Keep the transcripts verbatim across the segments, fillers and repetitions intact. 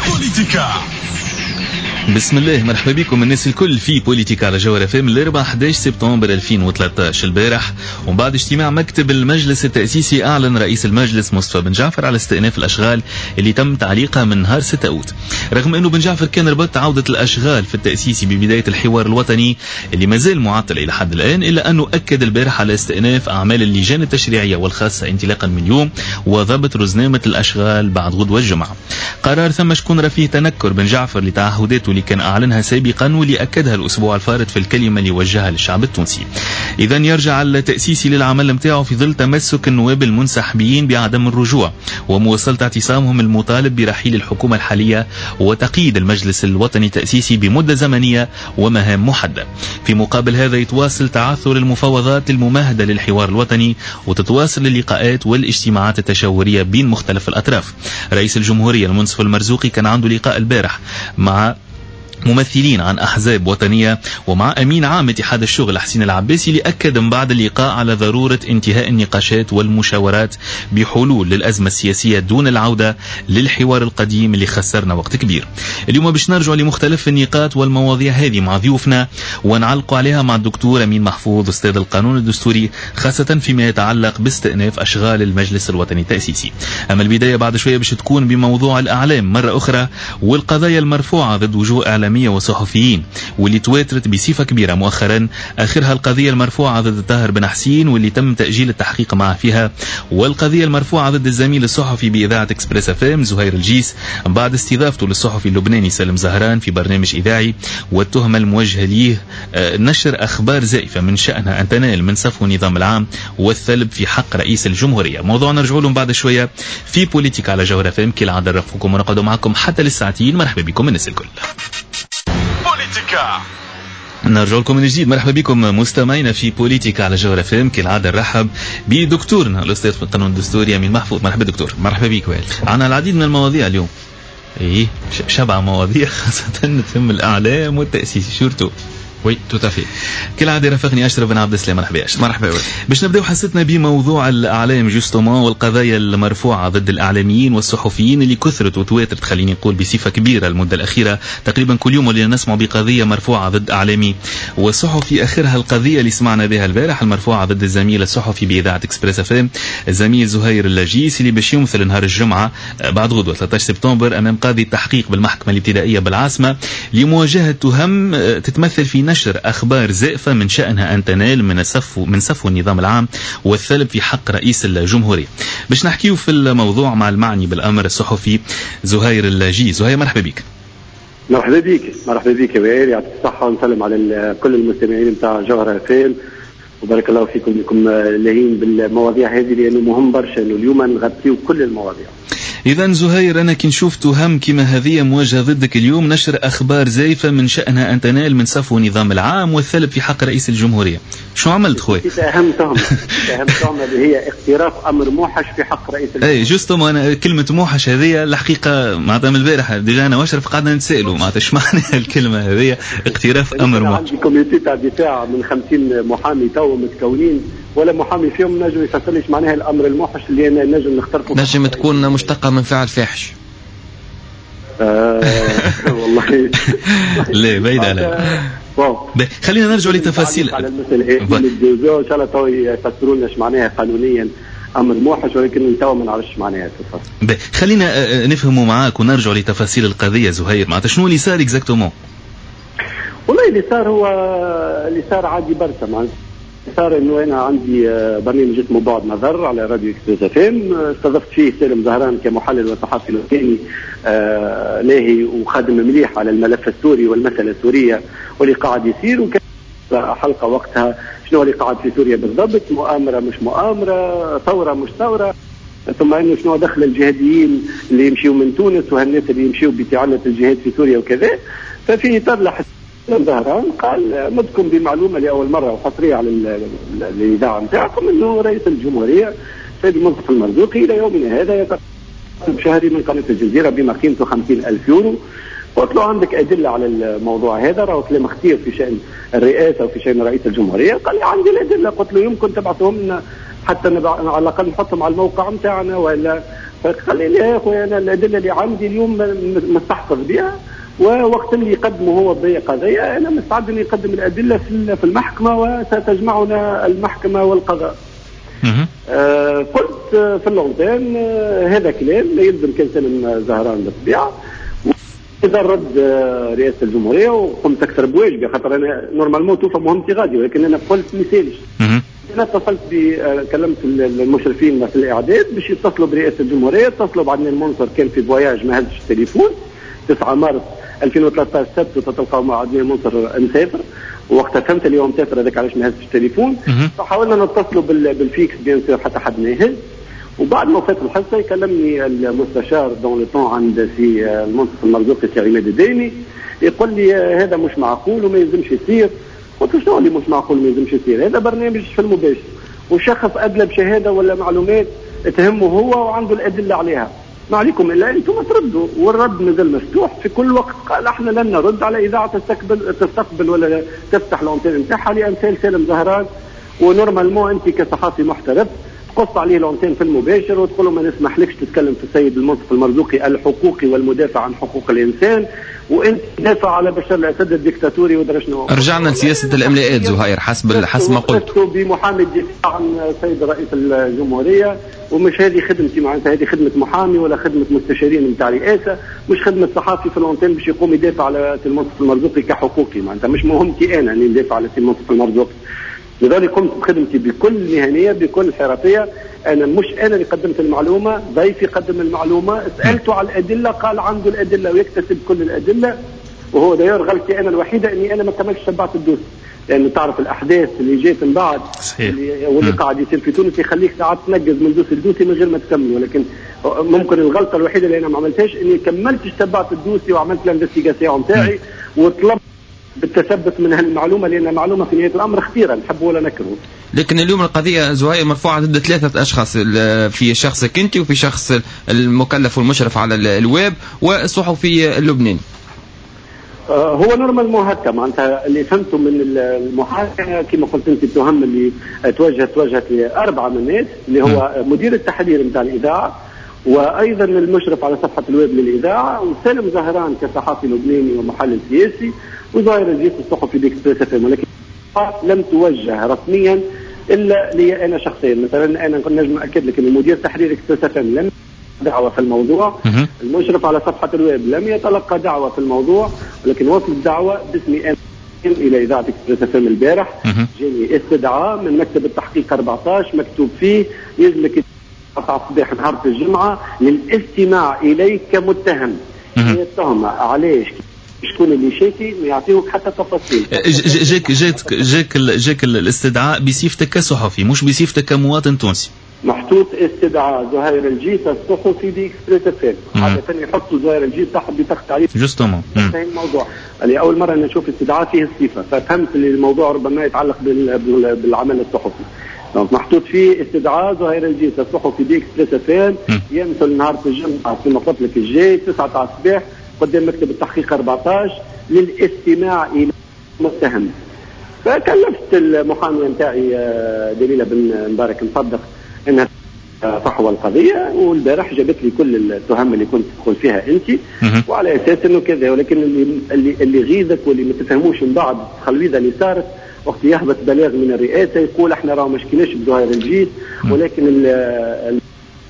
بوليتيكا. بسم الله، مرحبا بكم الناس الكل في بوليتيكا على جوهرة اف ام. الاربعاء أحد عشر سبتمبر ألفين وثلاثة عشر البارح، ومن بعد اجتماع مكتب المجلس التأسيسي، أعلن رئيس المجلس مصطفى بن جعفر على استئناف الأشغال اللي تم تعليقها من نهار ستة أوت. رغم أنه بن جعفر كان ربط عودة الأشغال في التأسيسي ببداية الحوار الوطني اللي مازال معطل إلى حد الآن، إلا أنه أكد البارح على استئناف أعمال اللجان التشريعية والخاصة انطلاقا من اليوم وضبط رزنامة الأشغال بعد غدوة الجمعة. قرار ثم شكون راه فيه تنكر بن جعفر لتعهداته اللي كان أعلنها سابقا واللي أكدها الأسبوع الفارط في الكلمة اللي وجهها للشعب التونسي. إذا يرجع التأسيسي للعمل متاعه في ظل تمسك النواب المنسحبين بعدم الرجوع ومواصلة اعتصامهم المطالب برحيل الحكومة الحالية وتقييد المجلس الوطني التأسيسي بمدة زمنية ومهام محددة. في مقابل هذا يتواصل تعثر المفاوضات الممهدة للحوار الوطني وتتواصل اللقاءات والاجتماعات التشاورية بين مختلف الأطراف. رئيس الجمهورية المنصف المرزوقي كان عنده لقاء البارح مع ممثلين عن أحزاب وطنية ومع أمين عام اتحاد الشغل حسين العباسي، اللي أكد من بعد اللقاء على ضرورة انتهاء النقاشات والمشاورات بحلول للأزمة السياسية دون العودة للحوار القديم اللي خسرنا وقت كبير. اليوم باش نرجع لمختلف النقاط والمواضيع هذه مع ضيوفنا ونعلق عليها مع الدكتور أمين محفوظ أستاذ القانون الدستوري، خاصة فيما يتعلق باستئناف أشغال المجلس الوطني التأسيسي. أما البداية بعد شوية باش تكون بموضوع الأعلام مرة أخرى والقضايا المرفوعة ضد وجوه إعلامية وصحفيين واللي تواترت بصفة كبيرة مؤخرا، آخرها القضية المرفوعة ضد طاهر بن حسين واللي تم تأجيل التحقيق معه فيها، والقضية المرفوعة ضد الزميل الصحفي بإذاعة اكسبريس اف ام زهير الجيس بعد استضافته للصحفي اللبناني سالم زهران في برنامج إذاعي، والتهمة الموجهة ليه نشر أخبار زائفة من شأنها أن تنال من صفو النظام العام والثلب في حق رئيس الجمهورية. موضوع نرجع لهم بعد شوية في بوليتيك على جوهرة اف ام. كالعادة نرافقكم ونقعد معكم حتى للساعتين. مرحبا بكم الناس الكل. بوليتيكا نرجع لكم من جديد. مرحبا بكم مستمعينا في بوليتيكا على جوهرة اف ام. كالعادة نرحب بدكتورنا الأستاذ في القانون الدستوري أمين محفوظ. مرحبا دكتور. مرحبا بك وائل. عندنا العديد من المواضيع اليوم، ايه شبع مواضيع خاصة تهم الأعلام والتأسيس surtout. oui tout à fait. كالعادة رافقني أشرف بن عبد السلام. مرحبا أشرف. مرحبا. باش نبداو حصتنا بموضوع الأعلام justement والقضايا المرفوعة ضد الإعلاميين والصحفيين اللي كثرت وتواترت، خليني نقول بصفة كبيرة المدة الأخيرة. تقريبا كل يوم ولينا نسمع بقضية مرفوعة ضد إعلامي وصحفي. آخرها القضية اللي سمعنا بها البارح المرفوعة ضد الزميل الصحفي بإذاعة اكسبريس اف ام الزميل زهير الجيس اللي باش يمثل نهار الجمعة بعد غدوة ثلاثة عشر سبتمبر أمام قاضي التحقيق بالمحكمة الابتدائية بالعاصمة لمواجهة تهم تتمثل في نشر أخبار زائفة من شأنها أن تنال من صفو من صفو النظام العام والثلب في حق رئيس الجمهورية. باش نحكيو في الموضوع مع المعني بالأمر الصحفي زهير الجي. زهير مرحبا بك. مرحبا بك. مرحبا بك يا وائل، يعطيك الصحة ونسلم على كل المستمعين نتاع جوهرة اف ام وبارك الله فيكم انكم لاهين بالمواضيع هذه لأنه مهم برشا انه اليوم نغطيو كل المواضيع. إذا زهير، أنا كي نشوف تهم كما هذه مواجهة ضدك اليوم، نشر أخبار زائفة من شأنها أن تنال من صفو النظام العام والثلب في حق رئيس الجمهورية، شو عملت خويا؟ أهم تهمة أهم تهمة اللي هي اقتراف أمر موحش في حق رئيس الجمهورية. أي justement، أنا كلمة موحش هذه الحقيقة معناتها من البارح déjà أنا وأشرف قعدنا نتسألوا معناتها إيش معنى الكلمة هذه اقتراف أمر موحش. عندي comité تاع دفاع من خمسين محامي تو متكونين، ولا محامي فيهم نجم يفسر ليش معناها الامر الموحش اللي انا نجم نخترقه. نجم تكون مشتقة من فعل فاحش. آه والله لا بعيد على. خلينا نرجع لتفاصيل على المسألة هذه ان شاء الله تو يفسروا لنا ايش معناها قانونيا امر موحش، ولكن تو ما نعرفش معناها. خلينا نفهموا معاك ونرجع لتفاصيل القضية زهير، معناتها شنو اللي صار exactement؟ والله اللي صار هو اللي صار عادي برشا. معناتها صار انه انا عندي برنامج اسمه بعد نظر على راديو اكسبريس اف ام، استضفت فيه سالم زهران كمحلل وصحفي لبناني آه لاهي وخادم مليح على الملف السوري والمسالة السورية واللي قاعد يصير، وكان حلقة وقتها شنو اللي قاعد في سوريا بالضبط، مؤامرة مش مؤامرة، ثورة مش ثورة، ثم انه شنو دخل الجهاديين اللي يمشيوا من تونس وهالناس اللي يمشيوا بتعلة الجهاد في سوريا وكذا. ففي اطار لحظة زهران قال مدكم بمعلومة لاول مرة وحصريه على الاذاعة نتاعكم انه رئيس الجمهورية سيد المنصف المرزوقي الى يومنا هذا يتقاضى شهري من قناة الجزيرة بما قيمته خمسين ألف يورو. قلت له عندك ادلة على الموضوع هذا؟ راهو كلام خطير في شان الرئاسة وفي شان رئيس الجمهورية. قال لي عندي الادلة. قلت له يمكن تبعثهم لنا حتى على الاقل نحطهم على الموقع نتاعنا ولا. فقال لي لا يا خويا انا الادلة اللي عندي اليوم مستحفظ بها، ووقت اللي يقدمه هو بقضيه انا مستعد اني اقدم الادلة في المحكمة وستجمعنا المحكمة والقضاء. آه قلت في l'antenne آه هذا كلام لا يلزم كان سالم زهران بالطبيعة. اذا رد رئاسة الجمهورية وقمت اكثر بواجبي، خاطر انا normalement توفى مهمتي غادي، ولكن انا قلت ما يسالش. انا اتصلت ب كلمت المشرفين في الاعداد باش يتصلوا برئاسة الجمهورية، اتصلوا بعدنان المنصر كان في voyage ما هزش التليفون. تسعة مارس ألفين وثلاثة عشر سبت تتلقاو مع عدنان المنصر مسافر، وقتها فهمت اليوم مسافر هذاك علاش ما هزش التليفون. فحاولنا نتصلوا بال fixe bien sûr حتى حد ما يهز. وبعد ما فات الحصة يكلمني المستشار dans le temps عند سي المنصف المرزوقي سي عماد الدايمي، يقول لي هذا مش معقول وما يلزمش يصير. قلت له شنو اللي مش معقول وما يلزمش يصير؟ هذا برنامج في المباشر وشخص ادلى بشهادة ولا معلومات تهمه هو وعنده الادلة عليها، ما عليكم الا انتم تردوا، والرد مازال مفتوح في كل وقت. قال احنا لن نرد على اذاعة تستقبل تستقبل ولا تفتح l'antenne نتاعها لامثال سالم زهران، و normalement انت كصحافي محترف تقص عليه l'antenne في المباشر وتقول له ما نسمحلكش تتكلم في السيد المنصف المرزوقي الحقوقي والمدافع عن حقوق الانسان، وانت تدافع على بشار الاسد الديكتاتوري ودرا شنو. رجعنا لسياسه الاملاءات زهير حسب حسب ما قلت بمحامي الدفاع عن السيد رئيس الجمهورية، ومش هذه خدمتي، معناتها هذه خدمة محامي ولا خدمة مستشارين نتاع رئاسة، مش خدمة صحافي في l'antenne باش يقوم يدافع على المنصف المرزوقي كحقوقي، معناتها مش مهمتي انا اني ندافع على المنصف المرزوقي. لذلك قمت بخدمتي بكل مهنية بكل حرفية. انا مش انا اللي قدمت المعلومة، ضيفي قدم المعلومة، سالته على الادلة قال عنده الادلة ويكتسب كل الادلة، وهو d'ailleurs غلطتي انا الوحيدة اني انا ما كملتش شبعت ال dossier، لانه تعرف الاحداث اللي جات من بعد اللي واللي قاعد يصير في تونس يخليك ساعات تنقز من dossier ل dossier من غير ما تكمل. ولكن ممكن الغلطة الوحيدة اللي انا ما عملتهاش اني كملتش تبعت ال dossier وعملت l'investigation نتاعي وطلبت بالتثبت من هالمعلومه، لان معلومة في نهاية الامر خطيرة نحبه ولا نكرهه. لكن اليوم القضية زهير مرفوعة ضد ثلاثة اشخاص، في شخصك انت وفي شخص المكلف والمشرف على الويب والصحفي اللبناني. هو normalement هكا معناتها اللي فهمته من المحاكمة كما قلت انت، التهم اللي توجهت توجهت لاربعة من الناس اللي هو مدير التحرير نتاع الاذاعة وايضا المشرف على صفحة الويب للاذاعة، وسالم زهران كصحفي لبناني ومحلل سياسي، وزهير الجيس الصحفي ب Express FM. ولكن لم توجه رسميا الا لي انا شخصيا. مثلا انا نجم اكد لك ان مدير تحرير Express FM لم دعوه في الموضوع، المشرف على صفحة الويب لم يتلقى دعوه في الموضوع، ولكن وصلت دعوه باسمي انا الى اذاعة Express FM البارح. جاني استدعاء من مكتب التحقيق أربعة عشر مكتوب فيه يلزمك تسعة الصباح نهار الجمعة للاستماع اليك كمتهم. هي التهمة علاش؟ شكون اللي شاكي؟ ما يعطيوك حتى تفاصيل. جاك جاك جاك جاك الاستدعاء بصفتك كصحفي مش بصفتك كمواطن تونسي. محطوط استدعاء زهير الجيس الصحفي ب Express FM، عادة يحطوا زهير الجيس صاحب بطاقة تعريف. justement الموضوع اللي أول مرة نشوف استدعاء فيه الصفة، ففهمت اللي الموضوع ربما يتعلق بالعمل الصحفي. donc محطوط فيه استدعاء زهير الجيس الصحفي ب Express FM يمثل نهار الجمعة كما قلت لك الجاي تسعة تاع الصباح قدام مكتب التحقيق أربعة عشر للاستماع إلى المتهم. فكلفت المحامية نتاعي دليلة بن مبارك مصدق انها فحوى القضية، والبارح جابت لي كل التهم اللي كنت تدخل فيها انت، وعلى اساس انه كذا. ولكن اللي اللي اللي غيظك واللي ما تفهموش من بعد التخلويضه اللي صارت وقت يهبط بلاغ من الرئاسة يقول احنا راه ما شكيناش بزهير الجيس، ولكن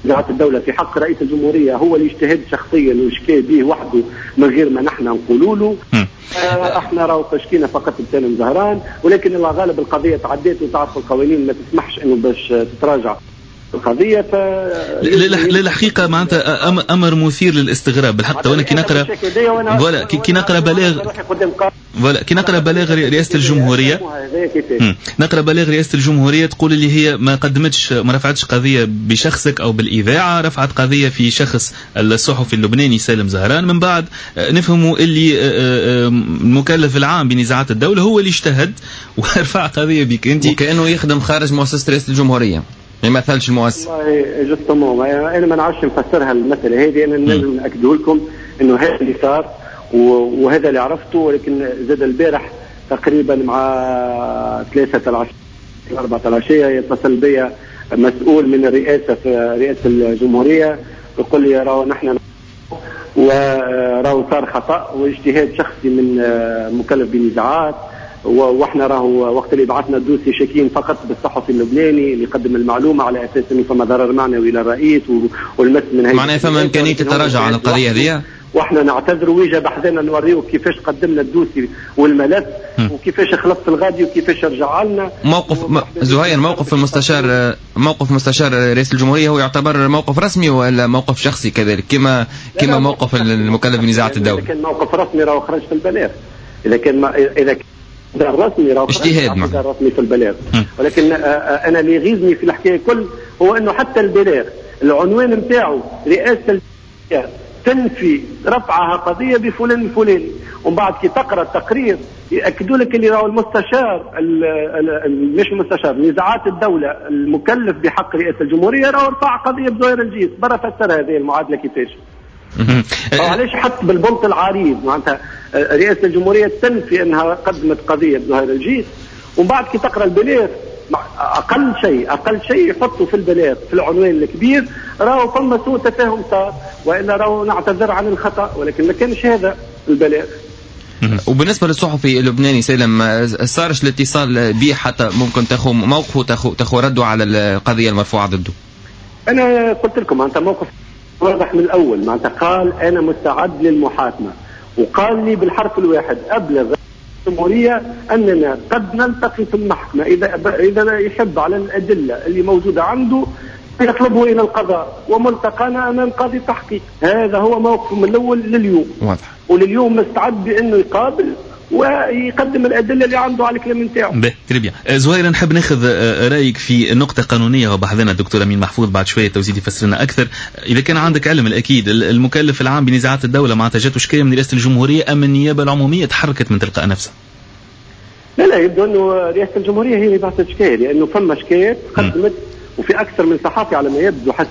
وزارة الدولة في حق رئيس الجمهورية هو اللي اجتهد شخصيا وشكى به وحده من غير ما نحن نقولوا له. آه احنا راهو شكينا فقط بسالم زهران، ولكن الله غالب القضية تعديت وتعرف القوانين ما تسمحش انه باش تتراجع القضية. ف للحقيقة معناتها امر مثير للاستغراب بالحق. وانا كي نقرا voilà كي نقرا بلاغ voilà كي نقرا بلاغ رئاسة الجمهورية، نقرا بلاغ رئاسة الجمهورية تقول اللي هي ما قدمتش ما رفعتش قضية بشخصك او بالاذاعه، رفعت قضية في شخص الصحفي اللبناني سالم زهران. من بعد نفهموا اللي المكلف العام بنزاعات الدولة هو اللي اجتهد ورفع قضية بك انت، وكانه يخدم خارج مؤسسة رئاسة الجمهورية، ما يمثلش المؤسسة. والله justement انا ما نعرفش نفسرها المسالة هذه، انا نجم ناكده لكم انه هذا اللي صار وهذا اللي عرفته. ولكن زاد البارح تقريبا مع ثلاثة العشية أربعة العشية يتصل بي مسؤول من الرئاسة في رئاسة الجمهورية يقول لي راهو نحن وراهو صار خطا واجتهاد شخصي من مكلف بنزاعات، واحنا راهو وقت اللي بعثنا ال dossier شاكين فقط بالصحفي اللبناني اللي قدم المعلومة على اساس انه فما ضرر معنوي للرئيس والمس من هي، معناها فما امكانية التراجع عن القضية هذه، واحنا نعتذر ويجا بحذنا نوريو كيفاش قدمنا ال dossier والملف وكيفاش خلصت الغادي وكيفاش رجع لنا موقف. م... زهير، موقف المستشار، موقف مستشار رئيس الجمهورية هو يعتبر موقف رسمي ولا موقف شخصي كذلك كما كما موقف المكلف بنزاعات الدولة؟ اذا كان موقف رسمي راهو خرج في البلاغ، اذا كان ما... اذا كان رسمي راهو اجتهاد رسمي في البلاغ. ولكن انا اللي يغيظني في الحكاية كل هو انه حتى البلاغ العنوان نتاعو رئاسة تنفي رفعها قضية بفلان الفلاني، ومن بعد كي تقرا التقرير ياكدوا لك اللي راهو المستشار ال ال مش المستشار نزاعات الدولة المكلف بحق رئاسة الجمهورية راهو رفع قضية بزهير الجيس. برا فسر هذه المعادلة كيفاش؟ علاش حط بالبنط العريض معناتها رئاسة الجمهورية تنفي انها قدمت قضية بزهير الجيس، ومن بعد كي تقرا البلاغ اقل شيء اقل شيء يحطوا في البلاغ في العنوان الكبير راهو فما سوء تفاهم صار، والا راهو نعتذر عن الخطا، ولكن ما كانش هذا البلاغ. وبالنسبة للصحفي اللبناني سالم، صارش الاتصال به حتى ممكن تاخذ موقفه تاخذ تاخذ رده على القضية المرفوعة ضده؟ انا قلت لكم معناتها موقف واضح من الاول، معناتها قال انا مستعد للمحاكمه، وقال لي بالحرف الواحد ابلغ الجمهورية أننا قد نلتقي في المحكمة إذا إذا يحب على الأدلة اللي موجودة عنده يطلبه إلى القضاء، وملتقانا أمام قاضي التحقيق. هذا هو موقفه من الأول لليوم، واضح، ولليوم مستعد بأنه يقابل ويقدم الأدلة اللي عنده على الكلام نتاعو. باهي très bien. زهير، نحب ناخذ رأيك في نقطة قانونية وبحثنا الدكتور أمين محفوظ بعد شوية توزيد يفسر لنا أكثر. إذا كان عندك علم الأكيد المكلف العام بنزاعات الدولة معناتها جاته شكاية من رئاسة الجمهورية أم النيابة العمومية تحركت من تلقاء نفسها؟ لا لا، يبدو أنه رئاسة الجمهورية هي اللي بعثت شكاية، لأنه فما شكايات قدمت وفي أكثر من صحافي على ما يبدو حسب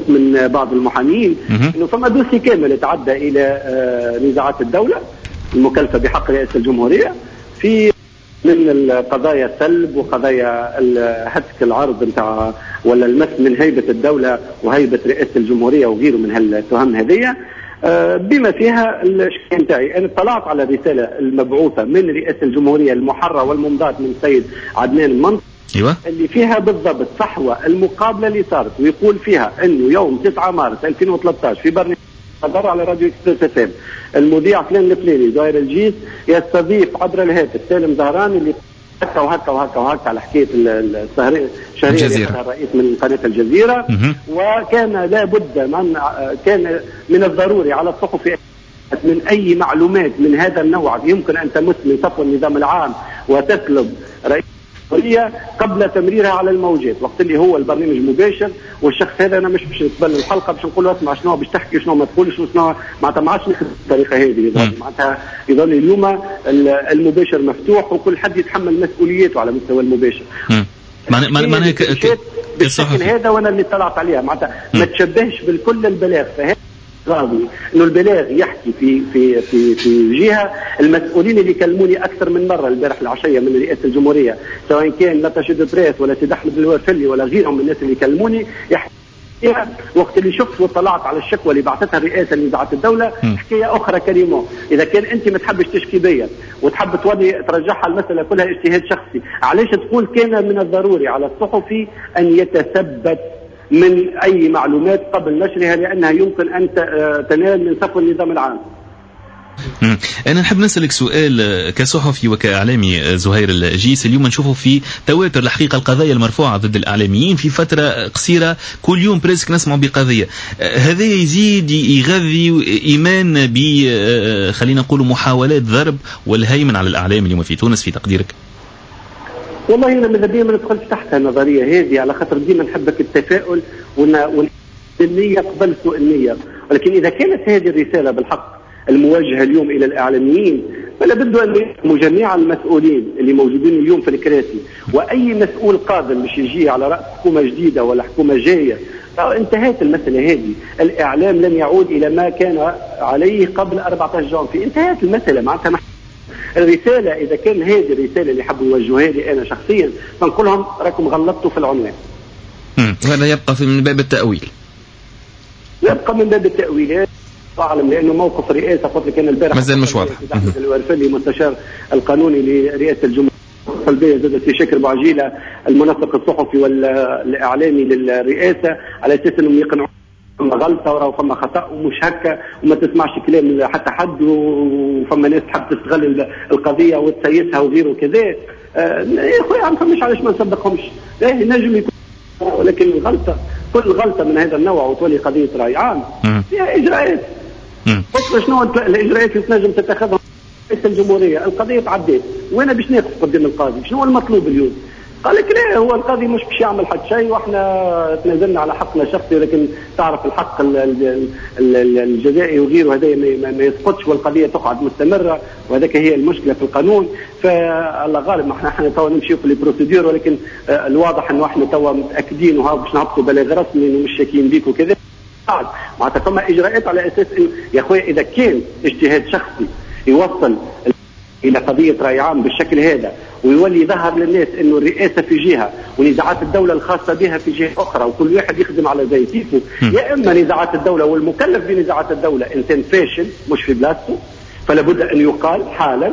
من بعض المحامين أنه فما dossier كامل تعدى إلى نزاعات الدولة المكلفة بحق رئاسة الجمهورية في من القضايا السلب وقضايا هتك العرض نتاع ولا المس من هيبة الدولة وهيبة رئاسة الجمهورية وغيره من هالتهم هذية، بما فيها الشكاية نتاعي. أنا اطلعت على الرسالة المبعوثة من رئاسة الجمهورية المحرة والممضاة من السيد عدنان المنصور، أيوة، اللي فيها بالضبط صحوة المقابلة اللي صارت، ويقول فيها أنه يوم تسعة مارس ألفين وثلاثة عشر في برنامج على راديو اكسبريس اف ام المذيع فلان الفلاني زهير الجيس يستضيف عبر الهاتف سالم زهران اللي هكا وهكا وهكا وهكا على حكاية الشهرية اللي الرئيس من قناة الجزيرة، وكان لابد من كان من الضروري على الصحفي من اي معلومات من هذا النوع يمكن ان تمس من صفو النظام العام وتسلب رئيس قبل تمريرها على الموجات، وقت اللي هو البرنامج مباشر والشخص هذا انا مش باش نتبنى الحلقة باش نقول له اسمع شنو باش تحكي شنو ما تقولش وشنو معناتها، ما عادش نخدم بالطريقة هذه. معناتها يظل اليوم المباشر مفتوح وكل حد يتحمل مسؤوليته على مستوى المباشر. معناها معناها بالشكل هذا وانا اللي طلعت عليها معناتها ما تشبهش بالكل البلاغ، فهذا راضي انه البلاغ يحكي في في في في جهة. المسؤولين اللي كلموني اكثر من مرة البارح العشية من رئاسة الجمهورية سواء كان l'attaché de presse ولا سيد احمد الورفلي ولا غيرهم من الناس اللي كلموني يحكي وقت اللي شفت وطلعت على الشكوى اللي بعثتها الرئاسة لنزاعات الدولة حكاية اخرى كريمة. اذا كان انت ما تحبش تشكي بيا وتحب تولي ترجعها المسالة كلها اجتهاد شخصي، علاش تقول كان من الضروري على الصحفي ان يتثبت من أي معلومات قبل نشرها لأنها يمكن أن تنال من صفو النظام العام؟ أنا نحب نسألك سؤال كصحفي وكإعلامي زهير الجيس. اليوم نشوفه في تواتر الحقيقة القضايا المرفوعة ضد الإعلاميين في فترة قصيرة، كل يوم presque نسمع بقضية. هذا يزيد يغذي إيمان ب خلينا نقول محاولات ضرب والهيمن على الإعلام اليوم في تونس في تقديرك؟ والله أنا ماذا بيا ما ندخلش تحت النظرية هذه، على خاطر ديما نحبك التفاؤل والنية قبل سوء النية، ولكن إذا كانت هذه الرسالة بالحق المواجهة اليوم إلى الإعلاميين فلا بد أن يفهموا جميع المسؤولين اللي موجودين اليوم في الكراسي، وأي مسؤول قادم باش يجي على رأس حكومة جديدة ولا حكومة جاية، انتهت المسألة هذه. الإعلام لن يعود إلى ما كان عليه قبل أربعة عشر جانفي، انتهت المسألة. معناتها الرسالة إذا كان هذه الرسالة اللي حبوا يوجهوها لي أنا شخصيا فنقول لهم راكم غلطتوا في العنوان. وهذا يبقى في من باب التأويل. يبقى من باب التأويلات أعلم، لأنه موقف الرئاسة قلت لك أنا البارح مازال مش واضح. أحمد الورفلي المستشار القانوني لرئاسة الجمهورية السلبية زاد في شكر بوعجيلة المنسق الصحفي والإعلامي للرئاسة على أساس أنهم يقنعوا فما غلطة وراو فما خطأ ومش هكا وما تسمعش كلام حتى حد، وفما ناس تحب تستغل القضية وتسيسها وغيره وكذا. آه يا خويا ما فماش علاش ما نصدقهمش، لا نجم يكون، ولكن الغلطة كل غلطة من هذا النوع وتولي قضية رأي عام فيها إجراءات. قلت شنو الإجراءات اللي تنجم تتخذها رئيس الجمهورية؟ القضية تعديت وأنا باش ناقف قدام القاضي، شنو المطلوب اليوم؟ قال لك لا هو القاضي مش باش يعمل حتى شيء واحنا تنازلنا على حقنا الشخصي، ولكن تعرف الحق الجزائي وغيره هذا ما يسقطش والقضية تقعد مستمرة، وهذاك هي المشكلة في القانون. فالله غالب احنا احنا توا نمشيو في les procédures، ولكن الواضح انه احنا توا متاكدين وها باش نهبطوا بلاغ رسمي انه مش شاكين بيك وكذا. معناتها فما اجراءات على اساس انه يا خويا اذا كان اجتهاد شخصي يوصل الى قضية راي عام بالشكل هذا ويولي ظهر للناس انه الرئاسة في جهة ونزاعات الدولة الخاصة بها في جهة اخرى وكل واحد يخدم على زي كيفه، يا اما نزاعات الدولة والمكلف بنزاعات الدولة انسان فاشل مش في بلاصته فلا بد ان يقال حالا،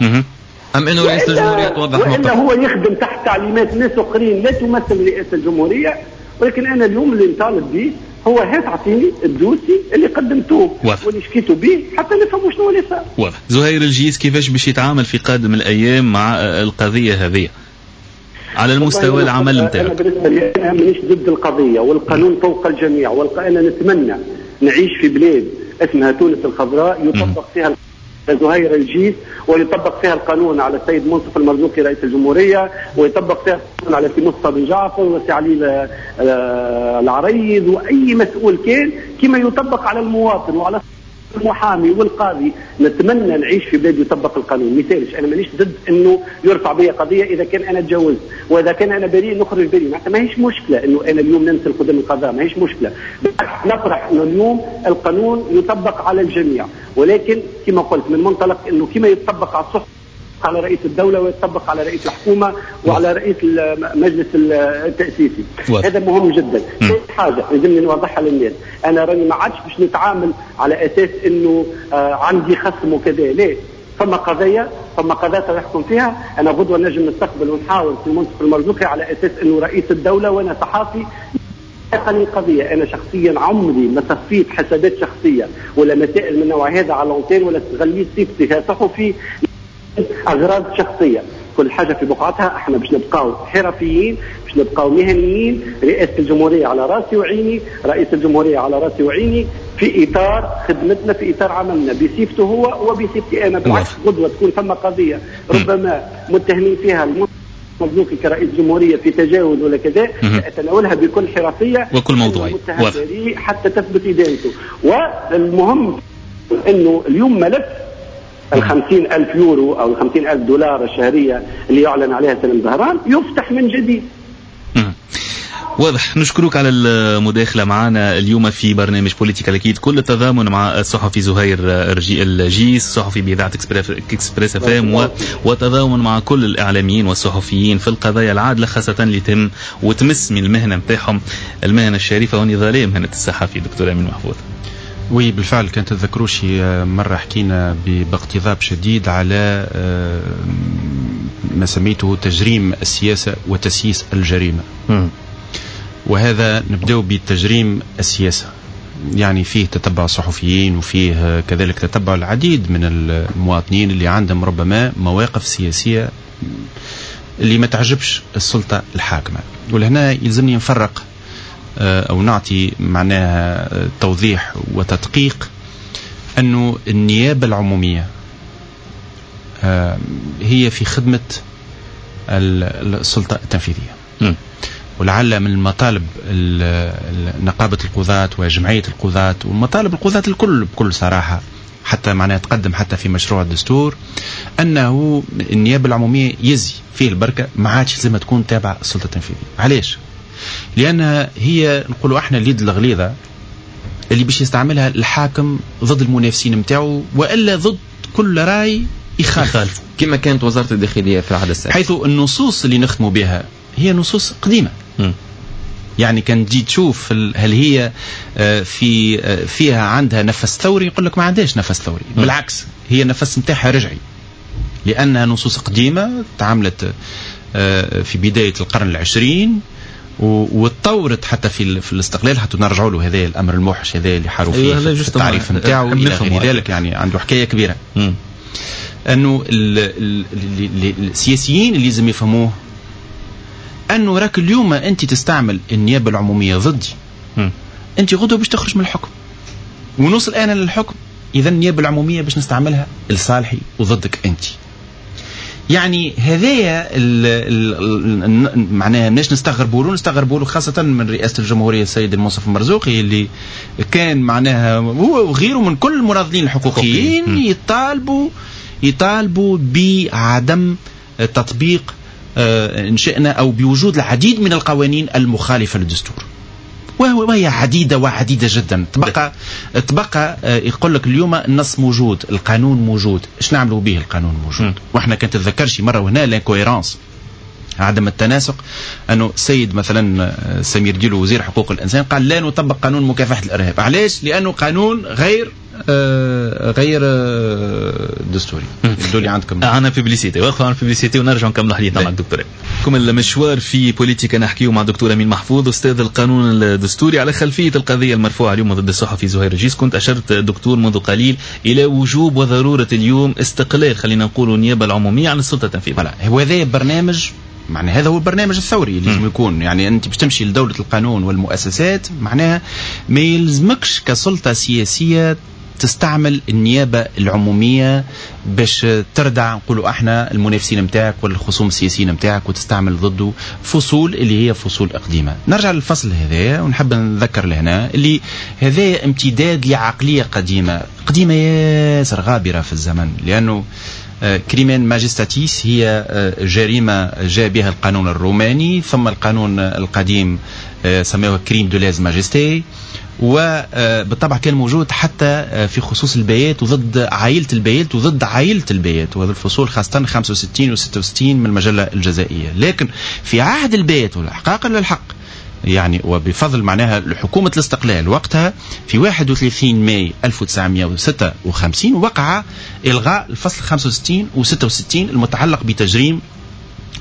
ام انه رئيس الجمهورية توضح موقفه، والا هو يخدم تحت تعليمات ناس اخرين لا تمثل رئاسة الجمهورية. ولكن انا اليوم اللي نطالب به هو هات اعطيني ال dossier اللي قدمتوه واللي شكيتوا به حتى نفهموا شنو اللي صار. واضح. زهير الجيس كيفاش باش يتعامل في قادم الايام مع القضية هذه على المستوى العمل نتاعك؟ انا بالنسبة لي انا مانيش ضد القضية والقانون فوق الجميع، وانا نتمنى نعيش في بلاد اسمها تونس الخضراء يطبق فيها زهير الجيس ويطبق فيها القانون على السيد منصف المرزوقي رئيس الجمهورية، ويطبق فيها القانون على سي مصطفى بن جعفر وسي علي العريض وأي مسؤول كان، كما يطبق على المواطن وعلى المحامي والقاضي. نتمنى نعيش في بلاد يطبق القانون. مثالش انا مانيش ضد انه يرفع بي قضية اذا كان انا تجاوزت، واذا كان انا بريء نخرج بريء، معناتها ماهيش مشكلة انه انا اليوم نمثل قدام القضاء، ماهيش مشكلة. نفرح انه اليوم القانون يطبق على الجميع، ولكن كما قلت من منطلق انه كما يطبق على الصحف على رئيس الدولة ويطبق على رئيس الحكومة وعلى رئيس المجلس التأسيسي. هذا مهم جدا. حاجة لازمني نوضحها للناس، أنا راني ما عادش باش نتعامل على أساس أنه آه عندي خصم وكذا، لا، فما قضية فما قضايا يحكم فيها. أنا غدوة نجم نستقبل ونحاول في المنصف المرزوقي على أساس أنه رئيس الدولة وأنا صحافي القضية. أنا شخصيا عمري ما صفيت حسابات شخصية ولا مسائل من النوع هذا على l'antenne ولا استغليت صفتي كصحفي أغراض شخصية. كل حاجة في بقعتها. احنا باش نبقاو حرفيين، باش نبقاو مهنيين. رئاسة الجمهورية على راسي وعيني، رئيس الجمهورية على راسي وعيني، في إطار خدمتنا، في إطار عملنا، بصفته هو وبصفتي أنا. بالعكس غدوة تكون ثم قضية ربما متهمين فيها المرزوقي كرئيس جمهورية في تجاوز ولا كذا، أتناولها بكل حرفية وكل موضوعية حتى تثبت إدانته. والمهم أنه اليوم ملف الخمسين ألف يورو أو الخمسين ألف دولار الشهرية اللي يعلن عليها سليم زهران يفتح من جديد. واضح. نشكرك على المداخلة معنا اليوم في برنامج بوليتيكا. أكيد كل التضامن مع الصحفي زهير الجيس صحفي بإذاعة اكسبريس اف ام، وتضامن مع كل الإعلاميين والصحفيين في القضايا العادلة، خاصة اللي تهم وتمس من المهنة نتاعهم، المهنة الشريفة والنضالية، مهنة الصحفي. دكتور أمين محفوظ. oui بالفعل كان تذكروا شي مرة حكينا باقتضاب شديد على ما سميته تجريم السياسة وتسييس الجريمة. م. وهذا نبدأ بتجريم السياسة، يعني فيه تتبع الصحفيين وفيه كذلك تتبع العديد من المواطنين اللي عندهم ربما مواقف سياسية اللي ما تعجبش السلطة الحاكمة. ولهنا يلزمني نفرق أو نعطي معناها توضيح وتدقيق أنه النيابة العمومية هي في خدمة السلطة التنفيذية. م. ولعل من المطالب نقابة القضاة وجمعية القضاة ومطالب القضاة الكل بكل صراحة، حتى معناها تقدم حتى في مشروع الدستور، أنه النيابة العمومية يزي فيه البركة، ما عادش لازم تكون تابعة السلطة التنفيذية. علاش؟ لأنها هي نقولوا احنا اليد الغليظة اللي باش يستعملها الحاكم ضد المنافسين متاعه وإلا ضد كل رأي يخالف، كما كانت وزارة الداخلية في العهد السابق، حيث النصوص اللي نختموا بها هي نصوص قديمة. م. يعني كان تجي تشوف هل هي في فيها عندها نفس ثوري، يقول لك ما عندهاش نفس ثوري. م. بالعكس هي النفس نتاعها رجعي، لأنها نصوص قديمة تعاملت في بداية القرن العشرين وتطورت حتى في في الاستقلال، حتى نرجعوا له هذا الامر الموحش هذا اللي حاروا فيه أيوة في التعريف نتاعو الى غير ذلك، يعني عنده حكاية كبيرة. م. انه السياسيين اللي لازم يفهموه انه راك اليوم انت تستعمل النيابة العمومية ضدي، م. انت غدوه باش تخرج من الحكم ونوصل انا للحكم، اذا النيابة العمومية باش نستعملها لصالحي وضدك انت. يعني هذايا معناها مش نستغربوا له، نستغربوا له خاصة من رئاسة الجمهورية السيد المنصف المرزوقي اللي كان معناها هو وغيره من كل المناضلين الحقوقيين يطالبوا يطالبوا بعدم تطبيق إن شئنا أو بوجود العديد من القوانين المخالفة للدستور، وهي عديدة وعديدة جدا. تبقى تبقى يقول لك اليوم النص موجود، القانون موجود، ايش نعملوا به القانون موجود؟ واحنا كان تتذكرش مرة وهنا l'incohérence، عدم التناسق، انه السيد مثلا سمير ديلو وزير حقوق الانسان قال لا نطبق قانون مكافحة الارهاب. علاش؟ لانه قانون غير آه غير آه دستوري. يبدو لي عندكم عندنا publicité، واقفة عن publicité ونرجع نكمل حديثنا مع الدكتور. كم المشوار في بوليتيكا نحكيه مع دكتور امين محفوظ استاذ القانون الدستوري على خلفية القضية المرفوعة اليوم ضد الصحفي زهير رجيس. كنت اشرت دكتور منذ قليل الى وجوب وضرورة اليوم استقلال خلينا نقول النيابة العمومية عن السلطة التنفيذية. هو هذا برنامج، معناها هذا هو البرنامج الثوري اللي لازم يكون. يعني انت باش تمشي لدولة القانون والمؤسسات معناها ما يلزمكش كسلطة سياسية تستعمل النيابة العمومية باش تردع نقولوا احنا المنافسين نتاعك ولا الخصوم السياسيين نتاعك وتستعمل ضده فصول اللي هي فصول قديمة. نرجع للفصل هذا ونحب نذكر لهنا اللي هذا امتداد لعقلية قديمة قديمة ياسر غابرة في الزمن، لأنه crimen majestatis هي جريمة جاء بها القانون الروماني، ثم القانون القديم سموه crime de lèse-majesté، وبالطبع كان موجود حتى في خصوص البيات وضد عائلة البيات وضد عائلة البيات، وهذا الفصول خاصة خمسة وستين وستة وستين من المجلة الجزائية. لكن في عهد البيات والإحقاق للحق يعني وبفضل معناها حكومة الاستقلال وقتها في واحد وثلاثين ماي ألف وتسعمائة وستة وخمسين وقع إلغاء الفصل خمسة وستين وستة وستين المتعلق بتجريم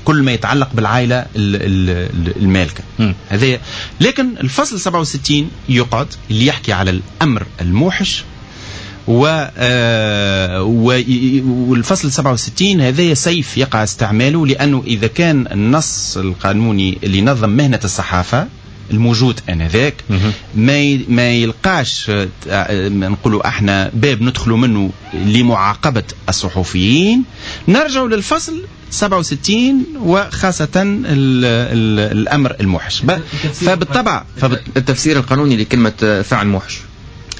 كل ما يتعلق بالعائلة المالكة هذا. لكن الفصل سبعة وستين يقعد اللي يحكي على الأمر الموحش، و والفصل سبعة وستين هذا سيف يقع استعماله، لأنه إذا كان النص القانوني اللي نظم مهنة الصحافة الموجود آنذاك ما ما يلقاش نقولوا احنا باب ندخلوا منه لمعاقبة الصحفيين، نرجع للفصل سبعة وستين وخاصة ال ال الأمر الموحش. فبالطبع التفسير القانوني لكلمة فعل موحش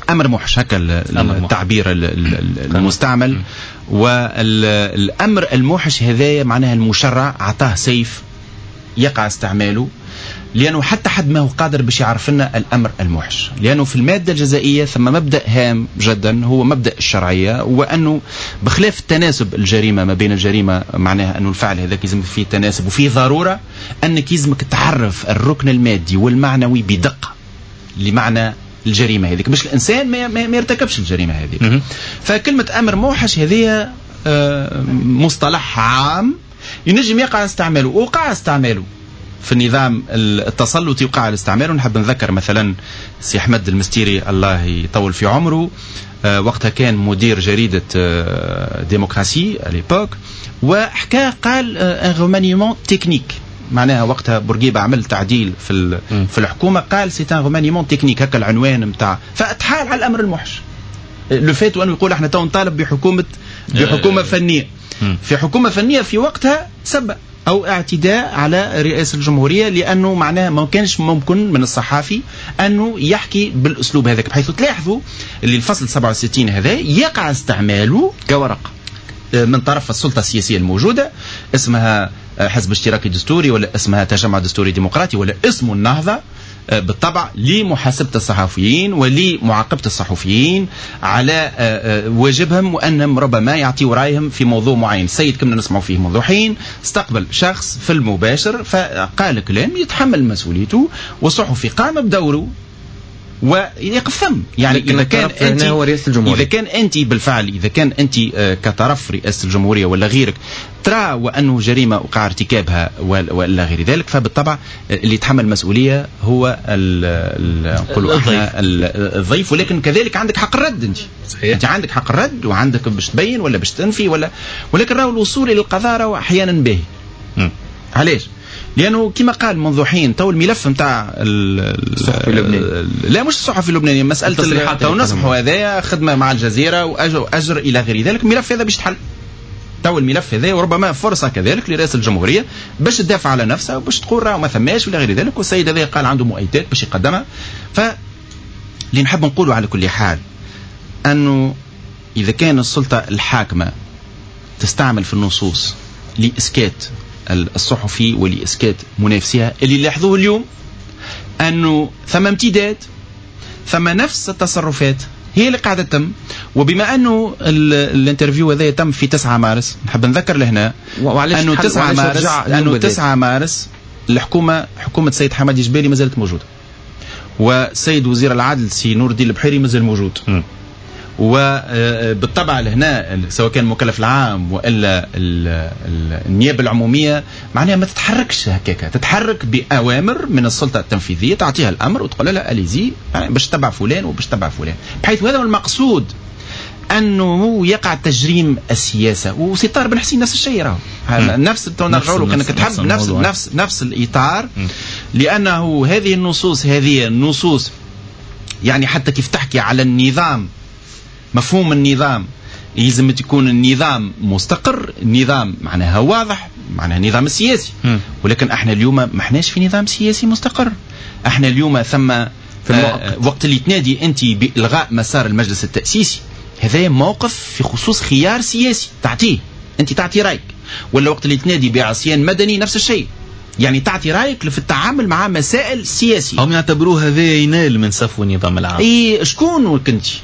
أمر موحش، هكا التعبير المستعمل. والأمر الموحش هذا معناها المشرع أعطاه سيف يقع استعماله، لأنه حتى حد ما هو قادر باش يعرف لنا الأمر الموحش، لأنه في المادة الجزائية ثم مبدأ هام جدا هو مبدأ الشرعية، وأنه بخلاف التناسب الجريمة ما بين الجريمة معناها أنه الفعل هذاك يلزم فيه تناسب وفيه ضرورة أنك يلزمك تعرف الركن المادي والمعنوي بدقة لمعنى الجريمة هذيك باش الإنسان ما ما يرتكبش الجريمة هذيك. فكلمة أمر موحش هذه مصطلح عام ينجم يقع استعماله وقع استعماله في النظام التسلطي وقع الاستعمال. ونحب نذكر مثلا سي أحمد المستيري الله يطول في عمره، وقتها كان مدير جريدة ديمقراسي à l'époque، وحكى قال un remaniement technique، معناها وقتها بورقيبة عمل تعديل في في الحكومة قال c'est un remaniement technique، هكا العنوان نتاع، فاتحال على الأمر الموحش لو فات وأنه يقول احنا تو نطالب بحكومة بحكومة فنية. في حكومة فنية في وقتها سبق أو اعتداء على رئاسة الجمهورية، لأنه معناه ما كانش ممكن من الصحافي أنه يحكي بالأسلوب هذاك، بحيث تلاحظوا اللي الفصل سبعة وستين هذا يقع استعماله كورق من طرف السلطة السياسية الموجودة، اسمها حزب اشتراكي دستوري ولا اسمها تجمع دستوري ديمقراطي ولا اسمه النهضة، بالطبع لمحاسبة الصحفيين ولمعاقبة الصحفيين على واجبهم، وأنهم ربما يعطيوا رأيهم في موضوع معين. السيد كنا نسمع فيه منذ حين استقبل شخص في المباشر فقال كلام يتحمل مسؤوليته، والصحفي قام بدوره ويقف ثم. يعني إذا كان أنت هو رئاسة الجمهورية، إذا كان أنت بالفعل إذا كان أنت كطرف رئاسة الجمهورية ولا غيرك ترى وأنه جريمة وقع ارتكابها ولا غير ذلك، فبالطبع اللي يتحمل المسؤولية هو نقولوا احنا الضيف. ولكن كذلك عندك حق الرد أنت. صحيح. أنت عندك حق الرد وعندك باش تبين ولا باش تنفي ولا، ولكن راهو الوصول إلى القضاء راهو أحيانا باهي. علاش؟ لأنه كما قال منذ حين تو الملف نتاع الصحفي اللبناني، لا مش الصحفي اللبناني، مسألة تو نصبحوا هذايا خدمة مع الجزيرة وأجر, وأجر إلى غير ذلك، الملف هذا باش تحل تو الملف هذا، وربما فرصة كذلك لرئاسة الجمهورية باش تدافع على نفسها وباش تقول راه ما ثماش ولا غير ذلك، والسيد هذا قال عنده مؤيدات باش يقدمها. ف اللي نحب نقوله على كل حال أنه إذا كان السلطة الحاكمة تستعمل في النصوص لإسكات الصحفي ولإسكات منافسيها، اللي لاحظوه اليوم أنه ثم امتداد، ثم نفس التصرفات هي اللي قاعدة تتم. وبما أنه ال interview هذا تم في تسعة مارس، نحب نذكر لهنا أنه تسعة مارس أنه تسعة مارس الحكومة حكومة سيد حمادي جبالي ما زالت موجودة، وسيد وزير العدل سي نور الدين البحيري ما زال موجود. م. وبالطبع لهنا سواء كان المكلف العام والا النيابة العمومية معناها ما تتحركش هكاك، تتحرك باوامر من السلطة التنفيذية، تعطيها الامر وتقول لها allez-y باش تتبع فلان وباش تتبع فلان، بحيث هذا هو المقصود انه يقع تجريم السياسة. وسي طاهر بن حسين نفس الشيء، راهو نفس نرجعوا له كانك تحب نفس نفس نفس الاطار، لانه هذه النصوص هذه النصوص يعني حتى كيف تحكي على النظام، مفهوم النظام يلزم تكون النظام مستقر، النظام معناها واضح، معناها النظام السياسي. م. ولكن احنا اليوم ما احناش في نظام سياسي مستقر. احنا اليوم ثم في آه وقت اللي تنادي انت بإلغاء مسار المجلس التأسيسي، هذا موقف في خصوص خيار سياسي تعطيه انت، تعطي رايك. ولا وقت اللي تنادي بعصيان مدني نفس الشيء، يعني تعطي رايك في التعامل مع مسائل سياسية. هم يعتبروه هذا ينال من صفو النظام العام. اي شكون كنتي؟